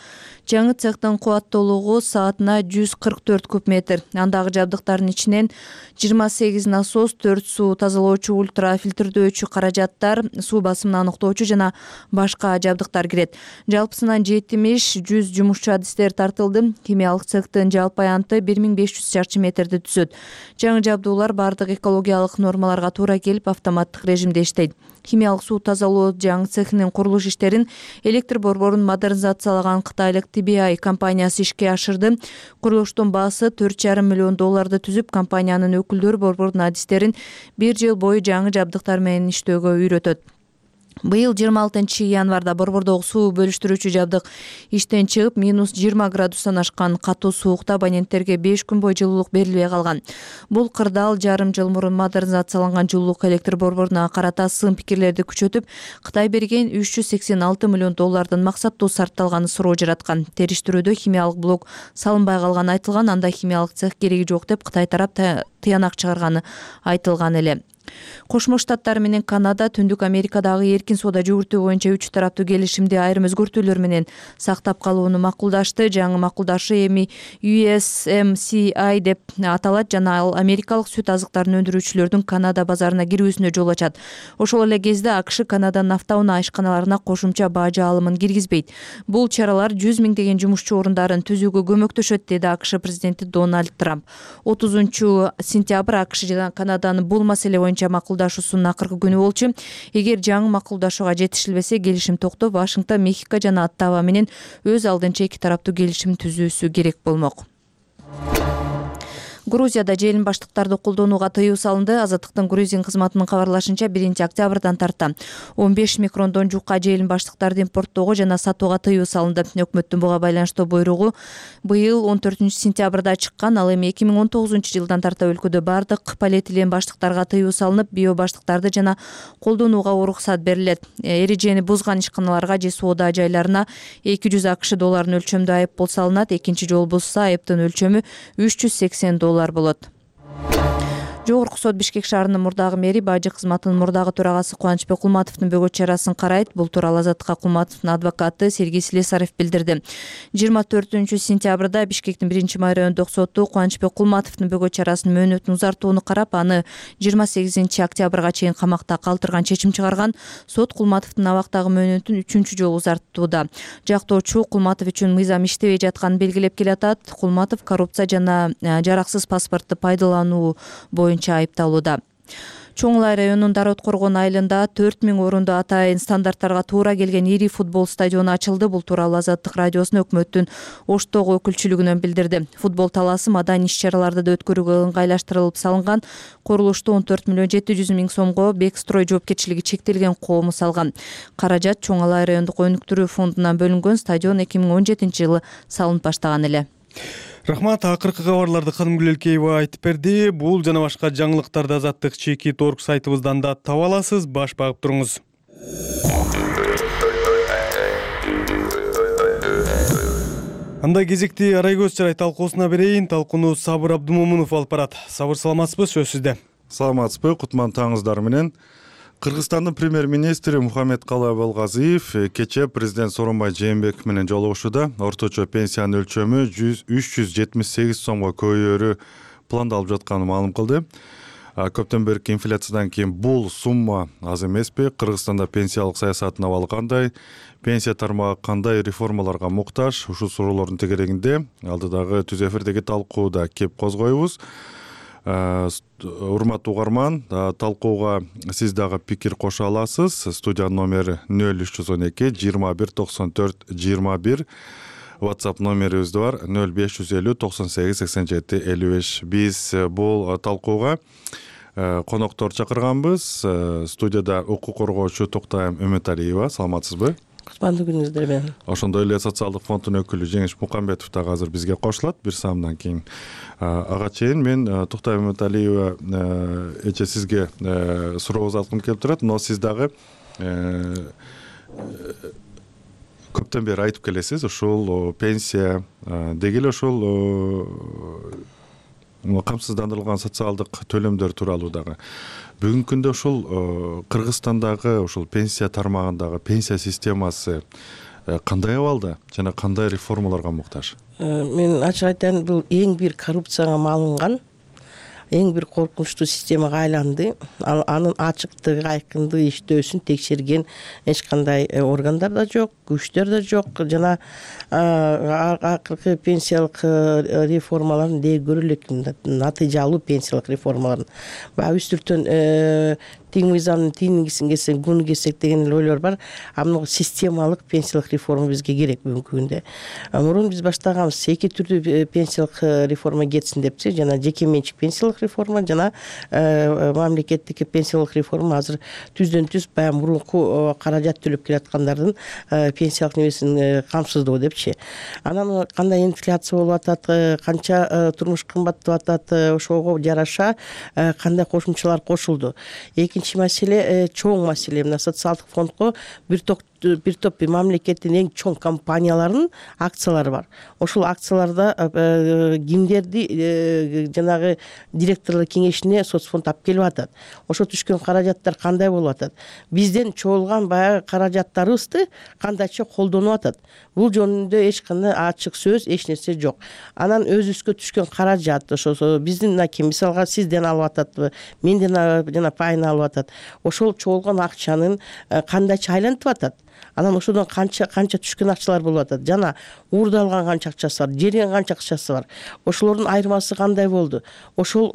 жаңы цехтин кубаттуулугу саатына 144 куб метр. Андагы жабдыктардын ичинен 28 насос, 4 суу тазалоочу, ультрафилтрдөөчү каражаттар, суу басымын аныктоочу жана башка жабдыктар кирет. Жалпысынан 70-100 жумушчу адистер тартылды. Химиялык цехтин жалпы аянты 1500 чарчы метрди түзөт. Жаңы жабдуулар бардык экологиялык нормаларга туура келип, автоматтык режимде иштейт. Химиялык суу тазалоо жаңы цехинин курулуш иштерин электр борборун модернизациялаган кытайлык TBI компаниясы ишке ашырды. Курулуштун баасы $4,5 миллион түзүп, компаниянын өкүлдөрү борбордун адистерин 1 жыл бою жаңы жабдыктар менен иштөөгө үйрөтөт. Быйыл 26 январда борбордогу суу бөлүштүрүүчү жабдык иштен чыгып, -20 градустан ашкан катуу суукта абоненттерге 5 күн бою жылуулук берилбей калган. Бул кырдаал жарым жыл мурун модернизацияланган жылуулук электр борборуна карата сын пикирлерди күчөтүп, Кытай берген $386 миллион максаттуу сарпталганы суроо жараткан. Териштирүүдө химиялык блок салынбай калганы айтылган, анда химиялык цех кереги жок деп Кытай тарап тыянак чыгарганы айтылган эле. Кошмо Штаттар менен Канада Түндүк Америкадагы эркин соода жүгүртүү боюнча 3 тараптуу келишимди айрым өзгөртүүлөр менен сактап калууну макулдашты. Жаңы макулдашы эми USMCA деп аталат жана ал америкалык сүт азыктарын өндүрүүчүлөрдүн Канада базарына кирүүсүнө жол ачат. Ошол эле кезде АКШ Канаданын автоунаа ишканаларына кошумча бажы алымын киргизбейт. Бул чаралар 100 миңдеген жумушчу орундарын түзүүгө көмөктөшөт, деди АКШ президенти Дональд Трамп. 30-сентябрь АКШ жана Канаданын бул маселе боюнча макулдашуусунун акыркы күнү болчу. Эгер жаңы макулдашууга жетишилбесе, келишим токтоп, Вашингтон, Мехико жана Оттава менен өз алдынча 2 тараптуу келишим түзүүсү керек болмок. Грузияда желин баштыктарды колдонууга тыюу салынды. Азаттыктын грузин кызматынын кабарлашынча 1-октябрдан тарта 15 микрондон жука желин баштыктарды импорттоого жана сатууга тыюу салынды. Өкмөттүн буга байланыштуу буйругу быйыл 14-сентябрда чыккан. Ал эми 2019-жылдан тарта өлкөдө бардык полиэтилен баштыктарга тыюу салынып, био баштыктарды жана колдонууга уруксат берилет. Эрежени бузган ишканаларга же соода жайларына $200 өлчөмдө айыппул салынат. Экинчи жолу бузса, айыптын өлчөмү $380 болот. Жогорку сот Бишкек шаарынын мурдагы мэри бажы кызматынын мурдагы төрагасы Кубанычбек Кулматовдун бөгөт чарасын карайт. Бул тууралуу Азаттыкка Кулматовдун адвокаты Сергей Слесарев билдирди. 24-сентябрда Бишкектин 1-май райондук соту Кубанычбек Кулматовдун бөгөт чарасынын мөөнөтүн узартууну карап, аны 28-октябрга чейин камакта калтырган чечим чыгарган. Сот Кулматовдун абактагы мөөнөтүн 3-чү жолу узартууда. Жактоочу Кулматов үчүн мыйзам иштебей жатканын белгилеп келатат. Кулматов коррупция жана жараксыз паспортду пайдалануу боюнча айыпталууда. Чоң Улай районунун Дарот Коргон айылында 4000 орунду атайын стандарттарга туура келген ири футбол стадиону ачылды. Бул тууралуу Азаттык радиосуна өкмөттүн Оштогу өкүлчүлүгүнөн билдирди. Футбол талаасы маданий иш-чараларды да өткөрүүгө ыңгайлаштырылып салынган. Курулушту 14,7 сомго Бекстрой жоопкерчилиги чектелген коому салган. Каражат Чоң Улай райондук өнүктүрүү фондунан бөлүнгөн. Стадион 2017-жылы салынып баштаган эле. Рахмат, акыркы кабарларды Канымгүл Элкеева айтып берди. Бул жана башка жаңылыктарды Азаттык Чекит.org сайтыбыздан да таба аласыз. Баш багып туруңуз. Анда кезекти арай көз чарай талкуусуна берейин. Талкууну Сабыр Абдумомунов алып барат. Сабыр, саламатсызбы? Сөз сизде. Саламатсызбы? Кутман таңыңыздар менен. Кыргызстандын премьер-министри Мухаммедкалый Абылгазиев кечээ президент Сооронбай Жээнбеков менен жолугушууда орточо пенсиянын өлчөмү 378 сомго көбөйөрү пландалып жатканын маалым кылды. Көптөн берки инфляциядан кийин бул сумма аз эмеспи? Кыргызстанда пенсиялык саясаттын абалы кандай? Пенсия тармагы кандай реформаларга муктаж? Ушул суроолордун тегерегинде алдыдагы түз эфирдеги талкууда кеп козгойбуз. Урматтуу угарман, талкууга сиз дагы пикир кошо аласыз. Студия номери 0312 21 94 21. WhatsApp номерибиз бар 0550 98 87 55. Биз бул талкууга коноктор чакырганбыз. Студияда укук коргоочу Токтайым Үмүталиева. Саламатсызбы? Кутмандуу күнүңүздөр менен. Ошондой эле социалдык фонддун өкүлү Жеңиш Мукамбетов дагы азыр бизге кошулат. Бир саамдан кийин ага чейин мен Токтайым Үмүталиева эче сизге сурообуз алгым келип турат. Но сиз дагы көптөн бери айтып келесиз, ушул пенсия деги эле ушул камсыздандырылган социалдык төлөмдөр тууралуу дагы. Бүгүнкү күндө ушул Кыргызстандагы ушул пенсия тармагындагы пенсия системасы кандай абалда жана кандай реформаларга муктаж? Мен ачык айтайын, бул эң бир коррупцияга малынган, эң бир коркунучтуу системага айланды. Анын ачыктыгы, айкындыгы, иштөөсүн текшерген эч кандай органдар да жок, күчтөр да жок. Жана акыркы пенсиялык реформалардын дээ көрө элек натыйжалуу пенсиялык реформалардын баягы үстүртөн тең мыйзамдын тийингисин кессек, гуну кессек деген эле ойлор бар. Мына системалык пенсиялык реформа бизге керек бүгүнкү күндө. Мурун биз баштаганбыз эки түрдүү пенсиялык реформа кетсин депчи, жана жеке менчик пенсиялык реформа жана мамлекеттик пенсиялык реформа. Азыр түздөн түз баягы мурунку каражат төлөп келаткандардын пенсиялык небесин камсыздоо депчи. Анан кандай инфляция болуп атат, канча турмуш кымбаттап атат, ошого жараша кандай кошумчалар кошулду. Экинчи маселе, чоң маселе, мына социалдык фондго бир топ мамлекеттин эң чоң компанияларынын акциялары бар. Ошол акцияларда кимдерди жанагы директорлор кеңешине соцфонд алып келип атат. Ошо түшкөн каражаттар кандай болуп атат? Бизден чогулган баягы каражаттарыбызды кандайча колдонуп атат? Бул жөнүндө эч кандай ачык сөз, эч нерсе жок. Анан өзүбүзгө түшкөн каражат, ошо биздин мисалга сизден алып ататпы, менден жана пайын алып атат. Ошол чогулган акчанын кандайча айлантып атат? Анан ошодон канча түшкөн акчалар болуп атат? Жана уурдалган канча акчасы бар, жерген канча акчасы бар? Ошолордун айырмасы кандай болду? Ошол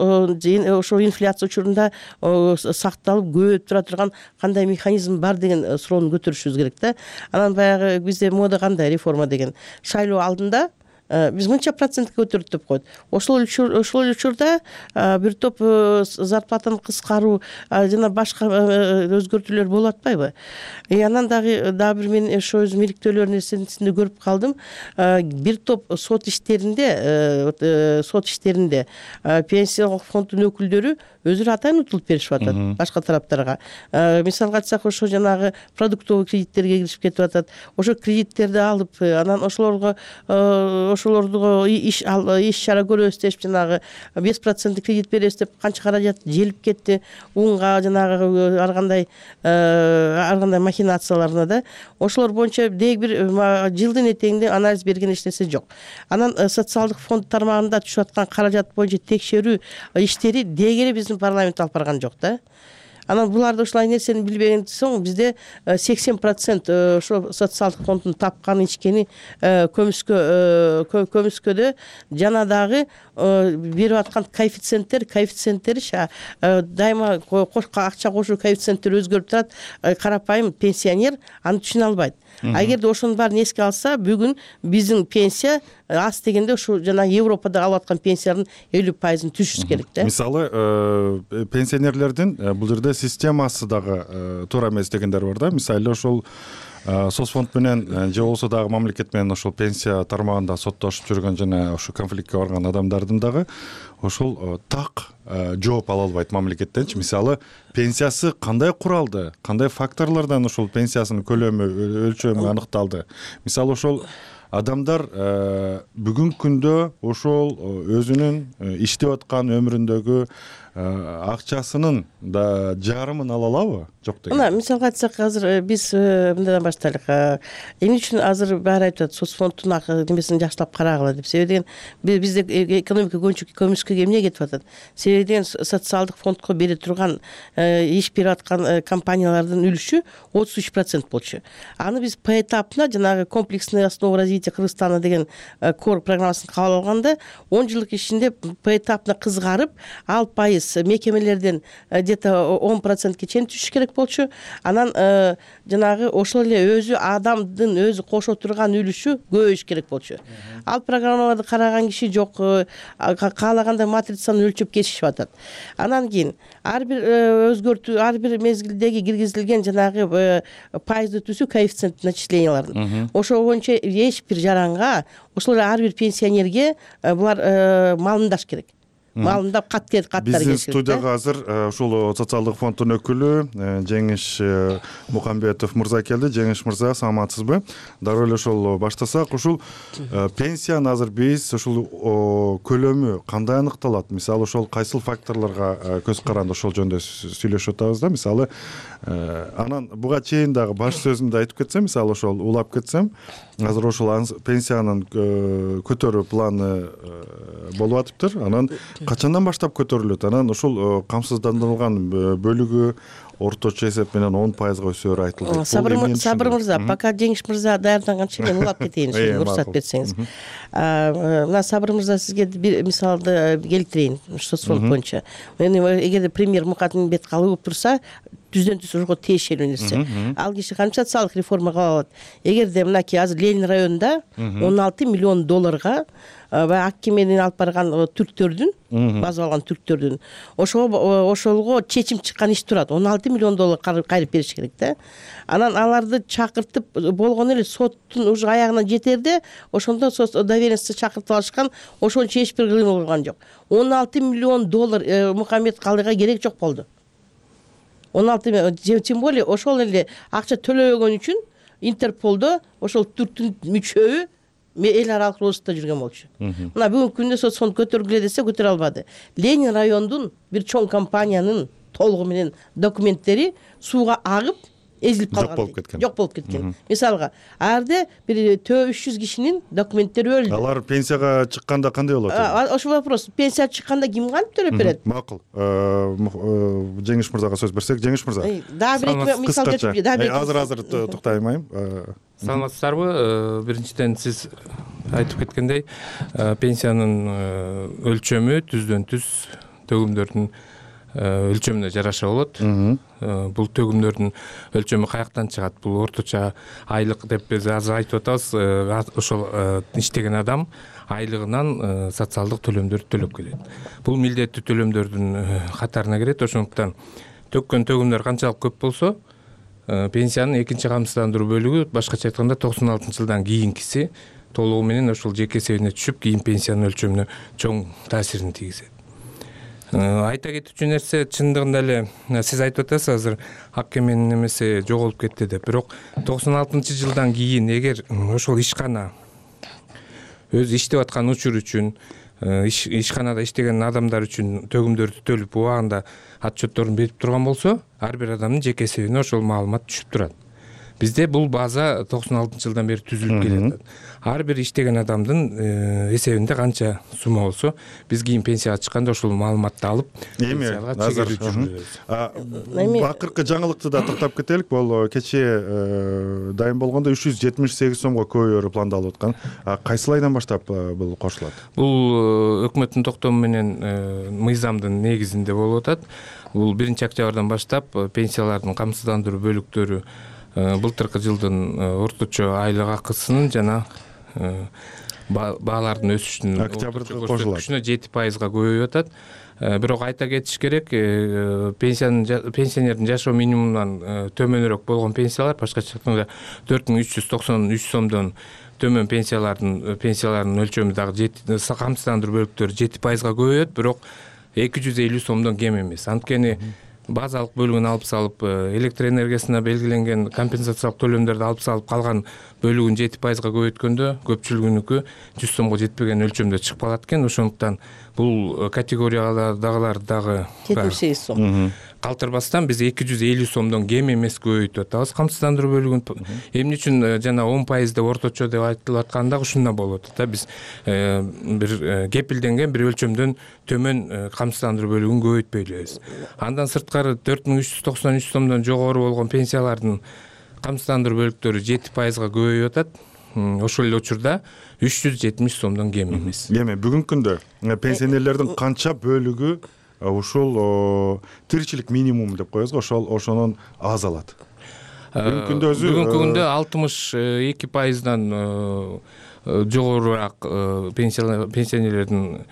инфляция учурунда сакталып көбөйүп тура турган кандай механизм бар деген суроону көтөрүшүбүз керек да. Анан баягы бизде мода кандай реформа деген? Шайлоо алдында биз мынча процентке көтөрдүк деп коет. Ошол учурда бир топ зарплатаны кыскаруу жана башка өзгөртүүлөр болуп атпайбы? Анан дагы бир мен ошо өзүм иликтөөлөр нерсесинде көрүп калдым. Бир топ сот иштеринде пенсиялык фонддун өкүлдөрү өзүрө атайын утулуп беришип атат башка тараптарга. Мисалга айтсак, ошо жанагы продуктовый кредиттерге киришип кетип атат. Ошо кредиттерди алып, анан ошолорду иш чара көрөбүз деп жанагы 5% кредит беребиз деп канча каражат желип кетти. Унга жанагы ар кандай махинацияларына да. Ошолор боюнча деги бир жылдын этегинде анализ берген эч нерсе жок. Анан социалдык фонд тармагында түшүп аткан каражат боюнча текшерүү иштери деги эле биздин парламент алып барган жок да. Анан буларды ушулай нерсени билбеген соң бизде 80% ошо социалдык фонддун тапкан ичкени көмүскөдө жана дагы берип аткан коэффициенттери дайыма акча кошуу коэффициенттери өзгөрүп турат. Карапайым пенсионер аны түшүнө албайт. Эгерде ошонун баарын эске алса, бүгүн биздин пенсия аз дегенде ушу жана Европада алып аткан пенсиянын 50%-ын түшүш керек да. Мисалы, пенсионерлердин бул жерде системасы дагы туура эмес дегендер бар да. Мисалы, ошол соцфонд менен же болбосо дагы мамлекет менен ошол пенсия тармагында соттошуп жүргөн жана ошо конфликтке барган адамдардын дагы ошол так жооп ала албайт мамлекеттенчи. Мисалы, пенсиясы кандай куралды, кандай факторлордон ошол пенсиясынын көлөмү, өлчөмү аныкталды? Мисалы, ошол адамдар бүгүнкү күндө ошол өзүнүн иштеп аткан өмүрүндөгү акчасынын да жарымын ала алабы, жок деген? Мына мисалга айтсак, азыр биз мындайдан баштайлык. Эмне үчүн азыр баары айтып атат, соцфонддун немесин жакшылап карагыла деп. Себеби деген бизде экономика көмүскөгө эмне кетип атат? Себеби деген социалдык фондко бере турган иш берип аткан компаниялардын үлүшү 33% болчу. Аны биз поэтапно жанагы комплексная основа развития Кыргызстана деген кор программасын кабыл алганда 10 жылдык ичинде поэтапно кызгарып, ал пайыз мекемелерден где-то 10%ке чейин түшүш керек болчу. Анан жанагы ошол эле өзү адамдын өзү кошо турган үлүшү көбөйүш керек болчу. Ал программаларды караган киши жок, каалагандай матрицаны өлчөп кетишип атат. Анан кийин ар бир өзгөртүү, ар бир мезгилдеги киргизилген жанагы пайызды түсүү коэффициент начислениялардын. Ошол боюнча эч бир жаранга, ошол ар бир пенсионерге булар малымдаш керек. Малымдап каттар керек. Биздин студияга азыр ушул социалдык фонддун өкүлү Жеңиш Мукамбетов мырза келди. Жеңиш мырза, саламатсызбы? Дароо эле ошол баштасак, ушул пенсияны азыр биз ушул көлөмү кандай аныкталат? Мисалы, ошол кайсыл факторлорго көз каранды ошол жөнүндө сүйлөшүп атабыз да. Мисалы, анан буга чейин дагы баш сөзүмдө айтып кетсем, мисалы ошол улап кетсем, азыр ошол пенсиянын көтөрүү планы болуп атыптыр. Анан качандан баштап көтөрүлөт? Анан ушул камсыздандырылган бөлүгү орточо эсеп менен 10%га өсөөрү айтылды. Сабыр мырза, пока Жеңиш мырза даярданганча мен улап кетейин, уруксат берсеңиз. Мына Сабыр мырза, сизге бир мисалды келтирейин соцфонд боюнча. Эгерде премьер Мукатминбет калып турса, түздөн түз ошого тиешелүү нерсе. Ал киши канча социалдык реформа кылып алат? Эгерде мынакей азыр Ленин районунда 16 миллион долларга баягы Аккеменин алып барган түрктөрдүн, базып алган түрктөрдүн ошолго чечим чыккан иш турат. 16 миллион доллар кайрып бериш керек да. Анан аларды чакыртып болгону эле соттун уже аягына жетерде, ошондо доверенность чакыртып алышкан, ошончо эч бир кыймыл кылган жок. 16 миллион доллар Мукамбет Калыга керек жок болду. 16, тем более ошол эле акча төлөбөгөн үчүн Интерполдо ошол түрктүн мүчөбү эл аралык розыскта жүргөн болчу. Мына бүгүнкү күндө соцфонд көтөргүлө десе көтөрө албады. Ленин райондун бир чоң компаниянын толугу менен документтери сууга агып эзилип калган. Жок болуп кеткен. Мисалга, арде бир 300 кишинин документтери өлдү. Алар пенсияга чыкканда кандай болот? Ошол вопрос. Пенсия чыкканда ким кантип төлөп берет? Макул. Жеңиш мырзага сөз берсек, Жеңиш мырза. Дагы бир мисал келтирип, азыр токтойм. Саламатсыздарбы? Биринчиден сиз айтып кеткендей, пенсиянын өлчөмү түздөн түз төгүмдөрдүн өлчөмүнө жараша болот. Бул төгүмдөрдүн өлчөмү каяктан чыгат? Бул орточо айлык деп биз азыр айтып атабыз. Ошол иштеген адам айлыгынан социалдык төлөмдөрдү төлөп келет. Бул милдеттүү төлөмдөрдүн катарына кирет. Ошондуктан төккөн төгүмдөр канчалык көп болсо, пенсиянын экинчи камсыздандыруу бөлүгү, башкача айтканда 96-жылдан кийинкиси толугу менен ошол жеке эсебине түшүп, кийин пенсиянын өлчөмүнө чоң таасирин тийгизет. Айта кетүүчү нерсе, чындыгында эле сиз айтып атасыз, азыр Аккеменин немеси жоголуп кетти деп. Бирок 96-жылдан кийин эгер ошол ишкана өзү иштеп аткан учур үчүн, ишканада иштеген адамдар үчүн төгүмдөрдү төлөп убагында отчетторун берип турган болсо, ар бир адамдын жеке эсебине ошол маалымат түшүп турат. Бизде бул база 96-жылдан бери түзүлүп келет. Ар бир иштеген адамдын эсебинде канча сумма болсо, биз кийин пенсияга чыкканда ошол маалыматты алып, пенсияга чегелүү жүргүзөбүз. Акыркы жаңылыкты да токтоп кетелик. Бул кечээ дайым болгондо 378 сомго көбөйөөрү пландалып аткан. Кайсыл айдан баштап бул кошулат? Бул өкмөттүн токтому менен мыйзамдын негизинде болуп атат. Бул 1-октябрдан баштап пенсиялардын камсыздандыруу бөлүктөрү былтыркы жылдын орточо айлык акысынын жана баалардын өсүшүнүн көрсөткүчүнө 7%га көбөйүп атат. Бирок айта кетиш керек, пенсионердин жашоо минимумунан төмөнүрөөк болгон пенсиялар, башкача айтканда 4393 сомдон төмөн пенсиялардын өлчөмү дагы камсыздандыруу бөлүктөрү 7%га көбөйөт, бирок 250 сомдон кем эмес. Анткени базалык бөлүгүн алып салып, электр энергиясына белгиленген компенсациялык төлөмдөрдү алып салып, калган бөлүгүн 7%га көбөйткөндө көпчүлүгүнүкү 100 сомго жетпеген өлчөмдө чыгып калат экен. Ошондуктан бул категориядагылар дагы 78 сом калтырбастан биз 250 сомдон кем эмес көбөйтүп атабыз камсыздандыруу бөлүгүн. Эмне үчүн жана 10% деп орточо деп айтылып аткан дагы ушундан болуп атат да. Биз бир кепилденген бир өлчөмдөн төмөн камсыздандыруу бөлүгүн көбөйтпөй элебиз. Андан сырткары 4393 сомдон жогору болгон пенсиялардын камсыздандыруу бөлүктөрү 7%га көбөйүп атат. Ошол эле учурда 370 сомдон кем эмес. Эми бүгүнкү күндө пенсионерлердин канча бөлүгү ушул тиричилик минимум деп коебуз, ошонун аз алат? Бүгүнкү күндө 62%дан жогорураак пенсионерлердин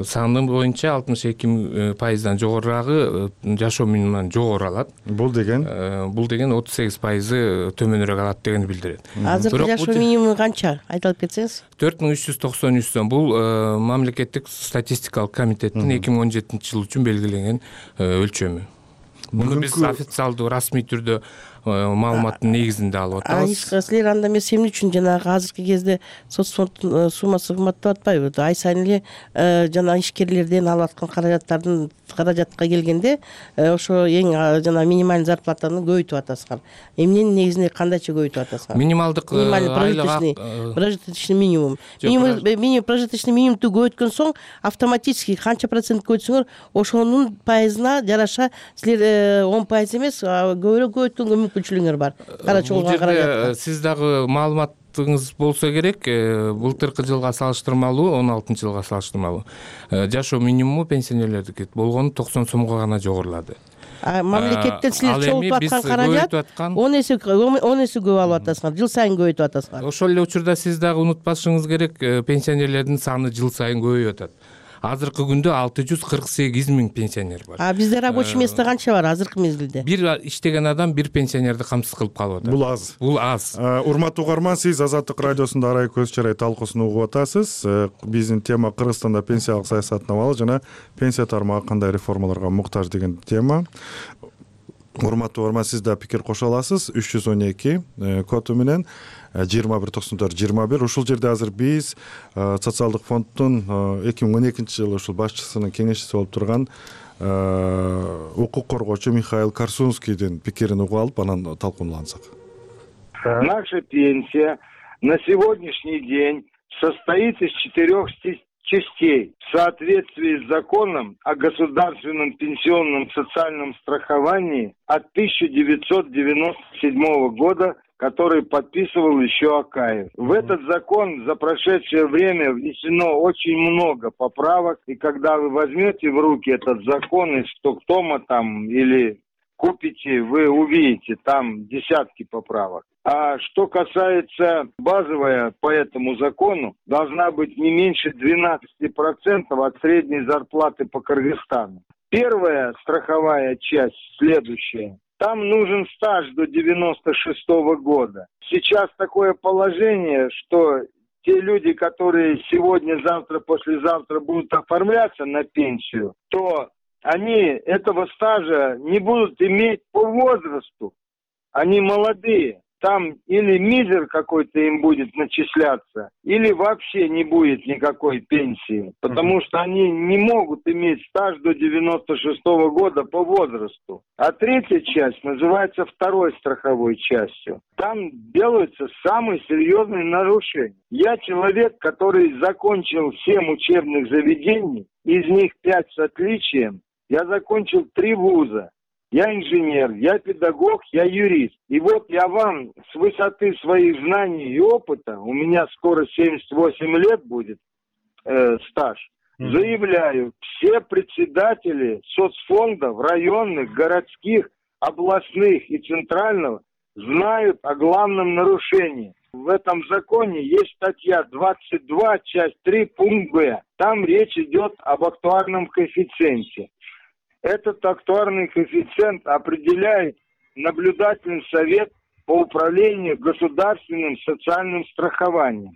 саны боюнча 62%дан жогорураагы жашоо минимумунан жогору алат. Бул деген 38% төмөнүрөөк алат дегенди билдирет. Азыркы жашоо минимуму канча? Айтып кетсеңиз. 4393 сом. Бул мамлекеттик статистикалык комитеттин 2017 жыл үчүн белгиленген өлчөмү. Муну биз официалдуу расмий түрдө маалыматтын негизинде алып атабыз. Силер анда эмес эмне үчүн жанагы азыркы кезде соцфонддун суммасы кымбаттап атпайбы? Ай сайын эле жана ишкерлерден алып аткан каражатка келгенде ошо эң жана минимальный зарплатаны көбөйтүп атасыңар. Эмненин негизинде кандайча көбөйтүп атасыңар? Минималдык прожиточный минимум. Прожиточный минимумду көбөйткөн соң автоматически канча процент көбөйтсөңөр, ошонун пайызына жараша силер 10% эмес, көбүрөөк көбөйткөнгө мүмкүнчүлүгүңөр бар. Карачы болгон каражатка. Сиз дагы маалыматыңыз болсо керек, былтыркы жылга салыштырмалуу, 16 жылга салыштырмалуу жашоо минимуму пенсионерлердики болгону 90 сомго гана жогорулады. Мамлекеттен силер чогултуп аткан каражат 10 эсе көп алып атасыңар, жыл сайын көбөйтүп атасыңар. Ошол эле учурда сиз дагы унутпашыңыз керек, пенсионерлердин саны жыл сайын көбөйүп атат. Азыркы күндө 648 миң пенсионер бар. Бизде рабочий место канча бар азыркы мезгилде? Бир иштеген адам бир пенсионерди камсыз кылып калып атат. Бул аз. Урматтуу угарман, сиз Азаттык радиосунда Арай көз чарай талкуусун угуп атасыз. Биздин тема Кыргызстанда пенсиялык саясаттын абалы жана пенсия тармагы кандай реформаларга муктаж деген тема. Урматтуу угарман, сиз да пикир кошо аласыз. 312 коду менен 2194-21. Ушул жерде азыр биз социалдык фонддун 2012-жылы ушул башчысынын кеңешчиси болуп турган укук коргоочу Михаил Корсунскийдин пикирин угуп алып, анан талкуулансак. Наша пенсия на сегодняшний день состоит из 4 частей. В соответствии с законом о государственном пенсионном социальном страховании от 1997 года, который подписывал еще Акаев. В этот закон за прошедшее время внесено очень много поправок, и когда вы возьмете в руки этот закон из Стоктома там или купите, вы увидите там десятки поправок. А что касается базовая по этому закону, должна быть не меньше 12% от средней зарплаты по Кыргызстану. Первая страховая часть следующая. Там нужен стаж до 96-го года. Сейчас такое положение, что те люди, которые сегодня, завтра, послезавтра будут оформляться на пенсию, то они этого стажа не будут иметь по возрасту. Они молодые. Там или мизер какой-то им будет начисляться, или вообще не будет никакой пенсии, потому что они не могут иметь стаж до 96-го года по возрасту. А третья часть называется второй страховой частью. Там делаются самые серьезные нарушения. Я человек, который закончил 7 учебных заведений, из них 5 с отличием. Я закончил 3 вуза. Я инженер, я педагог, я юрист. И вот я вам с высоты своих знаний и опыта, у меня скоро 78 лет будет стаж, заявляю, все председатели соцфондов, районных, городских, областных и центрального знают о главном нарушении. В этом законе есть статья 22, часть 3, пункт Б. Там речь идет об актуарном коэффициенте. Этот актуарный коэффициент определяет наблюдательный совет по управлению государственным социальным страхованием.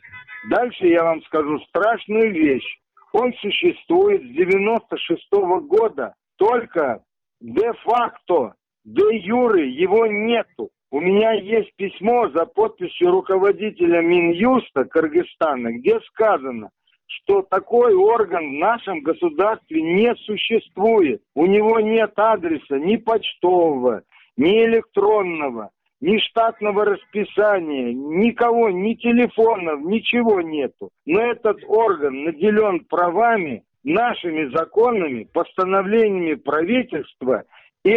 Дальше я вам скажу страшную вещь. Он существует с 96-го года только де-факто, де-юре его нету. У меня есть письмо за подписью руководителя Минюста Кыргызстана, где сказано, что такой орган в нашем государстве не существует. У него нет адреса ни почтового, ни электронного, ни штатного расписания, никого, ни телефонов, ничего нету. Но этот орган наделен правами, нашими законами, постановлениями правительства, и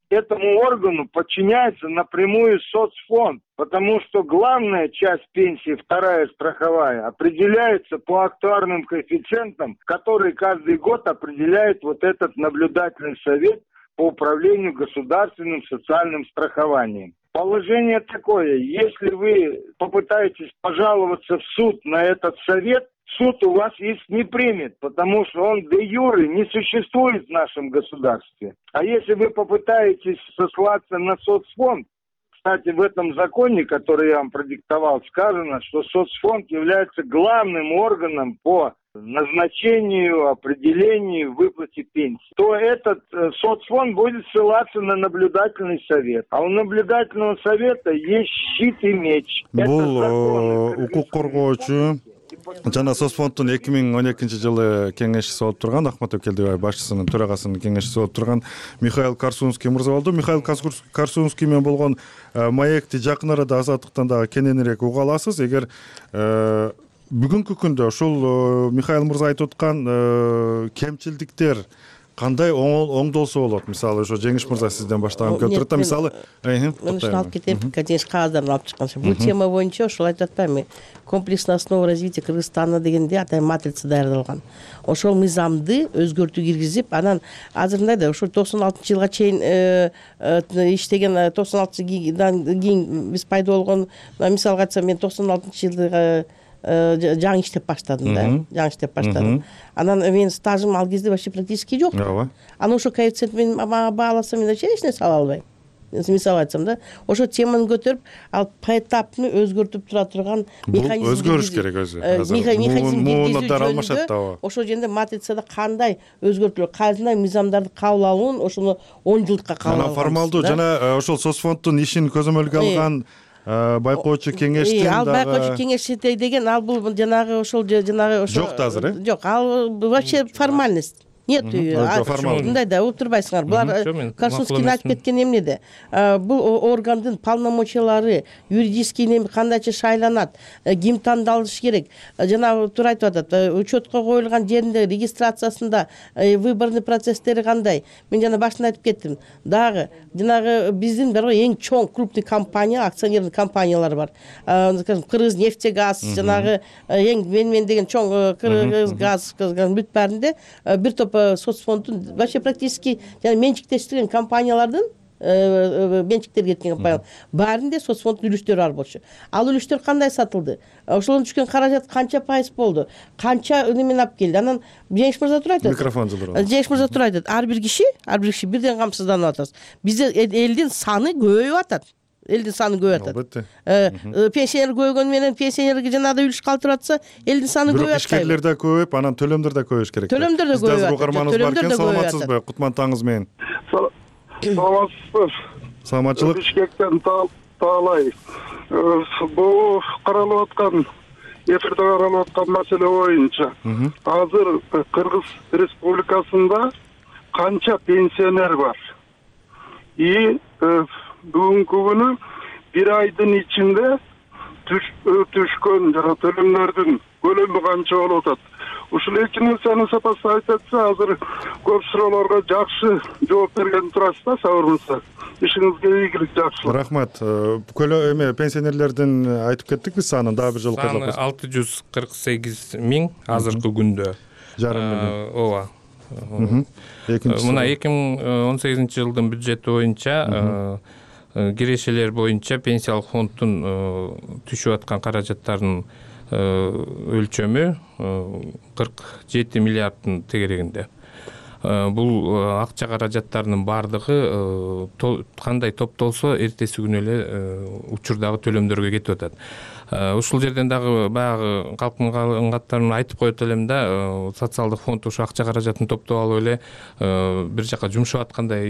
этому органу подчиняется напрямую соцфонд, потому что главная часть пенсии, вторая страховая, определяется по актуарным коэффициентам, которые каждый год определяет вот этот наблюдательный совет по управлению государственным социальным страхованием. Положение такое: если вы попытаетесь пожаловаться в суд на этот совет, суд у вас иск не примет, потому что он де-юре не существует в нашем государстве. А если вы попытаетесь сослаться на соцфонд, кстати, в этом законе, который я вам продиктовал, сказано, что соцфонд является главным органом по назначению, определению, выплате пенсии, то этот соцфонд будет ссылаться на наблюдательный совет. А у наблюдательного совета есть щит и меч. Бул укук коргоочу жана соцфонддун 2012 жылы кеңешчиси болуп турган Ахмат Өкелдибаев башчысынын төрагасынын кеңешчиси болуп турган Михаил Корсунский мырза болду. Михаил Корсунский менен болгон маекти жакын арада Азаттыктан дагы кененирээк уга аласыз. Эгер бүгүнкү күндө ушул Михаил мырза айтып аткан кемчилдиктер кандай оңдолсо болот? Мисалы ошо Жеңиш мырза сизден баштаган көп турат. Мисалы мен ушуну алып кетем, конечно, кагаздарын алып чыкканча. Бул тема боюнча ошол айтып атпаймынбы? Комплексная основа развития Кыргызстана дегенде атайын матрица даярдалган. Ошол мыйзамды өзгөртүү киргизип, анан азыр мындай да ошо 96-жылга чейин иштеген 96-жылдан кийин биз пайда болгон, мисалга айтсам, мен 96-жылдагы жаңы иштеп баштадым да, Анан менин стажым ал кезде вообще практически жок. Анан ошо коэффициент мен бааласам, мен вообще эч нерсе ала албайм. Мисалы айтсам да, ошо теманы көтөрүп, ал поэтапный өзгөртүп тура турган механизм. Өзгөрүш керек өзү. Муунаттар алмашат да. Ошол жерде матрицада кандай өзгөртүлөт, кандай мыйзамдарды кабыл алуун, ошону 10 жылдыкка кабыл алган. Анан формалдуу жана ошол соцфонддун ишин көзөмөлгө алган байкоочу кеңештин ал байкоочу кеңешчи деген ал бул жанагы ошол жок да азыр, жок, ал вообще формальность. Нет, мындай да угуп турбайсыңар. Булар Корсунский айтып кеткен эмнеде? Бул органдын полномочиялары, юридический неме кандайча шайланат, ким тандалышы керек. Жана туура айтып атат, учетко коюлган жеринде регистрациясында выборный процесстери кандай? Мен жана башында айтып кеттим. Дагы жанагы биздин бар эң чоң крупный компания, акционерный компаниялар бар. Кыргызнефтегаз, жанагы эң мен деген чоң Кыргызгаз бүт баарында бир топ соцфонддун вообще практически менчиктештирген компаниялардын менчиктерге кеткен компаниялар баарында соцфонддун үлүштөрү бар болчу. Ал үлүштөр кандай сатылды? Ошолон түшкөн каражат канча пайыз болду? Канча немен алып келди? Анан Жеңиш мырза тура айтат. Микрофон жылдыр. Жеңиш мырза тура айтат. Ар бир киши бирден камсызданып атат. Бизде элдин саны көбөйүп атат. Элдин саны көбөйүп атат. Пенсионер көбөйгөн менен пенсионерге жанагы үлүш калтырып атса, элдин саны көбөйүп атат. Ишкерлер да көбөйүп, анан төлөмдөр да көбөйүш керек. Төлөмдөр да көбөйүп атат. Угарманыбыз бар экен, саламатсызбы? Кутман таңыңыз менен. Саламатсызбы? Саламатчылык. Бишкектен Таалай. Бул каралып аткан, эфирде каралып аткан маселе боюнча азыр Кыргыз Республикасында канча пенсионер бар? И бүгүнкү күнү бир айдын ичинде түшкөн жана төлөмдөрдүн көлөмү канча болуп атат? Ушул эки нерсени сопоставить этсе, азыр көп суроолорго жакшы жооп берген турасыз да, сабырыңызга. Ишиңизге ийгилик, жакшылык. Рахмат. Пенсионерлердин айтып кеттик биз санын, дагы бир жолу кайталап. 648 миң азыркы күндө. Жарым миллион. Ооба. Мына 2018 жылдын бюджети боюнча кирешелер боюнча пенсиялык фонддун түшүп аткан каражаттардын өлчөмү 47 миллиарддын тегерегинде. Бул акча каражаттарынын баардыгы кандай топтолсо эртеси күнү эле учурдагы төлөмдөргө кетип атат. Ушул жерден дагы баягы калктын каттарын айтып коет элем да, социалдык фонд ушу акча каражатын топтоп алып эле бир жака жумшап аткандай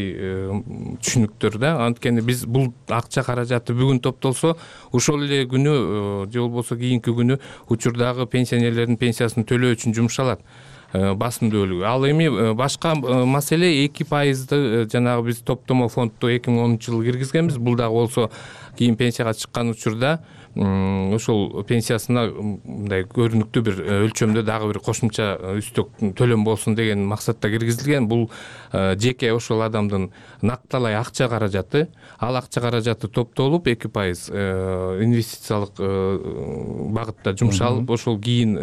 түшүнүктөр да. Анткени биз бул акча каражаты бүгүн топтолсо, ошол эле күнү же болбосо кийинки күнү учурдагы пенсионерлердин пенсиясын төлөө үчүн жумшалат басымдуу бөлүгү. Ал эми башка маселе 2% жанагы биз топтомо фондду 2010-жылы киргизгенбиз. Бул дагы болсо кийин пенсияга чыккан учурда ошол пенсиясына мындай көрүнүктүү бир өлчөмдө дагы бир кошумча үстөк төлөм болсун деген максатта киргизилген. Бул жеке ошол адамдын накталай акча каражаты. Ал акча каражаты топтолуп 2% инвестициялык багытта жумшалып, ошол кийин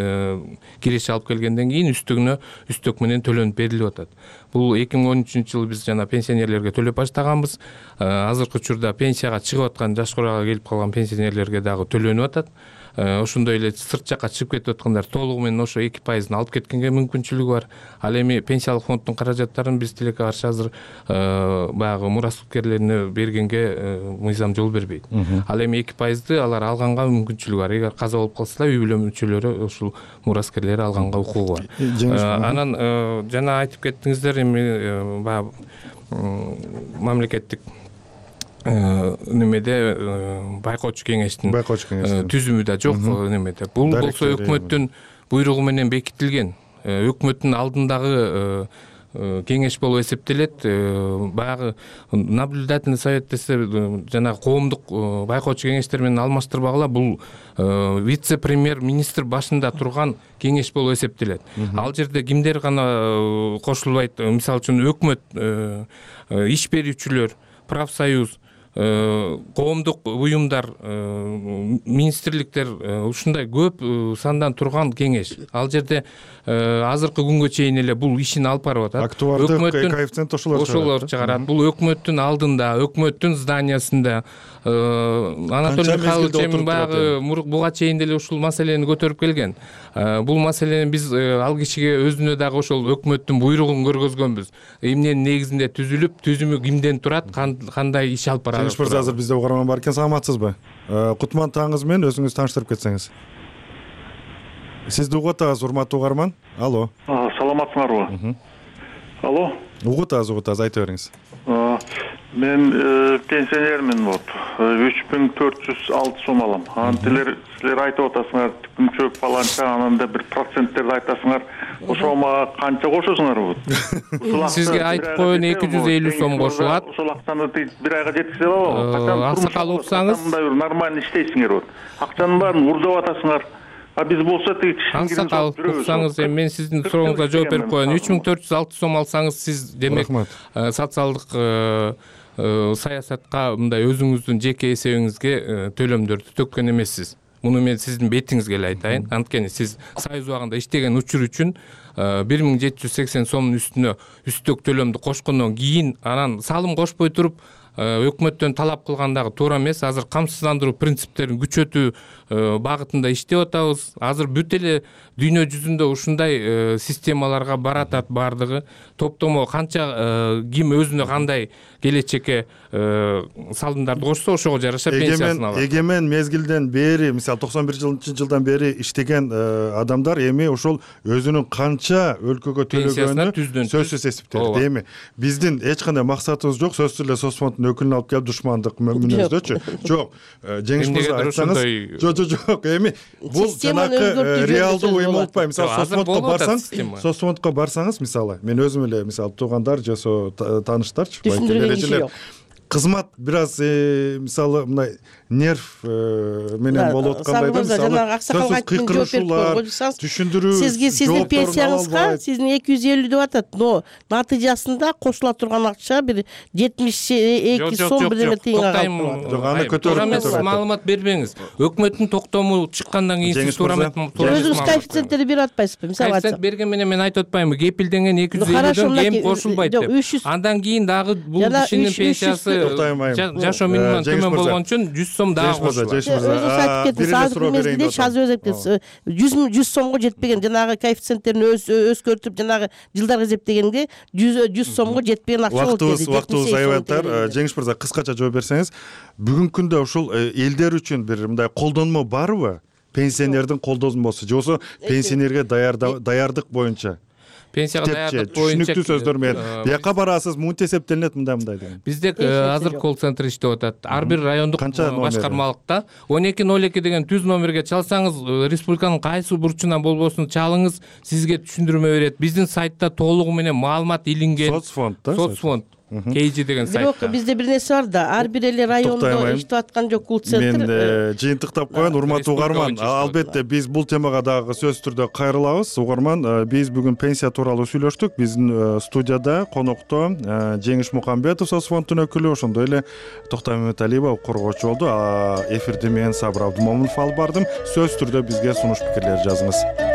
киреше алып келгенден кийин үстөк менен төлөнүп берилип атат. Бул 2013-жылы биз жана пенсионерлерге төлөп баштаганбыз. Азыркы учурда пенсияга чыгып аткан, жаш курага келип калган пенсионерлерге дагы төлөнүп атат. Ошондой эле сырт жакка чыгып кетип аткандар толугу менен ошо 2%-ны алып кеткенге мүмкүнчүлүгү бар. Ал эми пенсиялык фонддун каражаттарын биз тилекке каршы азыр баягы мураскерлерине бергенге мыйзам жол бербейт. Ал эми 2%-ды алар алганга мүмкүнчүлүгү бар. Эгер каза болуп калса, үй бүлө мүчөлөрү ушул мураскерлери алганга укугу бар. Анан жана айтып кеттиңиздер, эми баягы мамлекеттик немеде байкоочу кеңештин түзүмү да жок немеде. Бул болсо өкмөттүн буйругу менен бекитилген. Өкмөттүн алдындагы кеңеш болуп эсептелет. Баягы наблюдательный совет десе, жана коомдук байкоочу кеңештер менен алмаштырбагыла, бул вице-премьер-министр башында турган кеңеш болуп эсептелет. Ал жерде кимдер гана кошулбайт? Мисалы үчүн өкмөт, иш берүүчүлөр, профсоюз, коомдук уюмдар, министрликтер, ушундай көп сандан турган кеңеш. Ал жерде азыркы күнгө чейин эле бул ишин алып барып атат. Актуардык коэффициент ошолор чыгарат. Бул өкмөттүн алдында, өкмөттүн зданиясында. Анатолий Михайлович эми баягы буга чейин деле ушул маселени көтөрүп келген. Бул маселени биз ал кишиге өзүнө дагы ошол өкмөттүн буйругун көргөзгөнбүз. Эмненин негизинде түзүлүп, түзүмү кимден турат, кандай иш алып барат. Жеңиш мырза, азыр бизде угарман бар экен, саламатсызбы? Кутман таңыңыз менен өзүңүз тааныштырып кетсеңиз. Сизди угуп атабыз, урматтуу угарман. Алло. Саламатсыңарбы? Алло. Угуп атабыз, айта бериңиз. Мен пенсионермин, 3406 сом алам. Анан силер айтып атасыңар, түкүмчөк фаланча, ананда бир проценттерди айтасыңар. Ошого мага канча кошосуңар бу? Сизге айтып коеюн, 250 сом кошулат. Ошол акчаны бир айга жеткизе алабы? Аксакал уксаңыз, мындай бир нормально иштейсиңер бу. Акчанын баарын урдап атасыңар. Биз болсо тиги аксакал уксаңыз, эми мен сиздин сурооңузга жооп берип коеюн. 3406 сом алсаңыз, сиз демек социалдык саясатка мындай өзүңүздүн жеке эсебиңизге төлөмдөрдү төккөн эмессиз. Муну мен сиздин бетиңизге эле айтайын. Анткени сиз союз убагында иштеген учур үчүн 1780 сомдун үстүнө үстөк төлөмдү кошкондон кийин анан салым кошпой туруп өкмөттөн талап кылгандагы туура эмес. Азыр камсыздандыруу принциптерин күчөтүү багытында иштеп атабыз. Азыр бүт эле дүйнө жүзүндө ушундай системаларга баратат бардыгы. Топтомо канча ким өзүнө кандай келечекке салымдарды кошсо, ошого жараша пенсиясын алат. Эгемен мезгилден бери, мисалы 91-жылдан бери иштеген адамдар эми ошол өзүнүн канча өлкөгө төлөгөнү сөзсүз эсептелет. Эми биздин эч кандай максатыбыз жок, сөзсүз эле соцфонддун өкүлүн алып келип душмандык мүнөздөчү. Жок. Жеңиш мырза айтсаңыз, жок. Эми бул жанакы реалдуу уюм болуп атпайбы? Мисалы соцфондко барсаңыз, мисалы мен өзүм эле мисалы туугандар же тааныштарчы, байкелер кызмат бир аз мисалы мындай нерв менен болуп аткандай да, мисалы сөзсүз кыйкырышуулар, түшүндүрүү, сиздин пенсияңызга сиздин 250 деп атат, но натыйжасында кошула турган акча бир 72 сом бир эме тыйынга калат. Жок, аны көтөрүп маалымат бербеңиз. Өкмөттүн токтому чыккандан кийин сиз туура өзүңүз коэффициенттерди берип атпайсызбы? Мисалы коэффициент берген менен мен айтып атпаймынбы, кепилденген 250дөн кем кошулбайт деп. Андан кийин дагы бул кишинин пенсиясы жашоо минимумунан төмөн болгон үчүн 100 сом дагы кошулат. Өзүңүз айтып кеттиңиз, азыркы мезгилде Шазы өзектер 100 сомго жетпеген, жанагы коэффициенттерин өзгөртүп, жанагы жылдарга эсептегенде 100 сомго жетпеген акча болуп кетти. Убактыбыз аябаттар. Жеңиш мырза, кыскача жооп берсеңиз, бүгүнкү күндө ушул элдер үчүн бир мындай колдонмо барбы? Пенсионердин колдонмосу же болбосо пенсионерге даярдык боюнча? Пенсияга даярдык боюнча түшүнүктүү сөздөр менен бияка барасыз, мынтип эсептелинет, мындай деген. Бизде азыр колл центр иштеп атат. Ар бир райондук башкармалыкта 1202 деген түз номерге чалсаңыз, республиканын кайсы бурчунан болбосун чалыңыз, сизге түшүндүрмө берет. Биздин сайтта толугу менен маалымат илинген. Соцфонд Кейжи деген сайтта. Бирок бизде бир нерсе бар да, ар бир эле райондо иштеп аткан жок колл центр. Мен жыйынтыктап коеюн, урматтуу угарман. Албетте биз бул темага дагы сөзсүз түрдө кайрылабыз. Угарман, биз бүгүн пенсия тууралуу сүйлөштүк. Биздин студияда конокто Жеңиш Мукамбетов, соцфонддун өкүлү, ошондой эле Токтой Маматалиева коргоочу болду. Эфирди мен Сабыр Абдымомунов алып бардым. Сөзсүз түрдө бизге сунуш пикирлерди жазыңыз.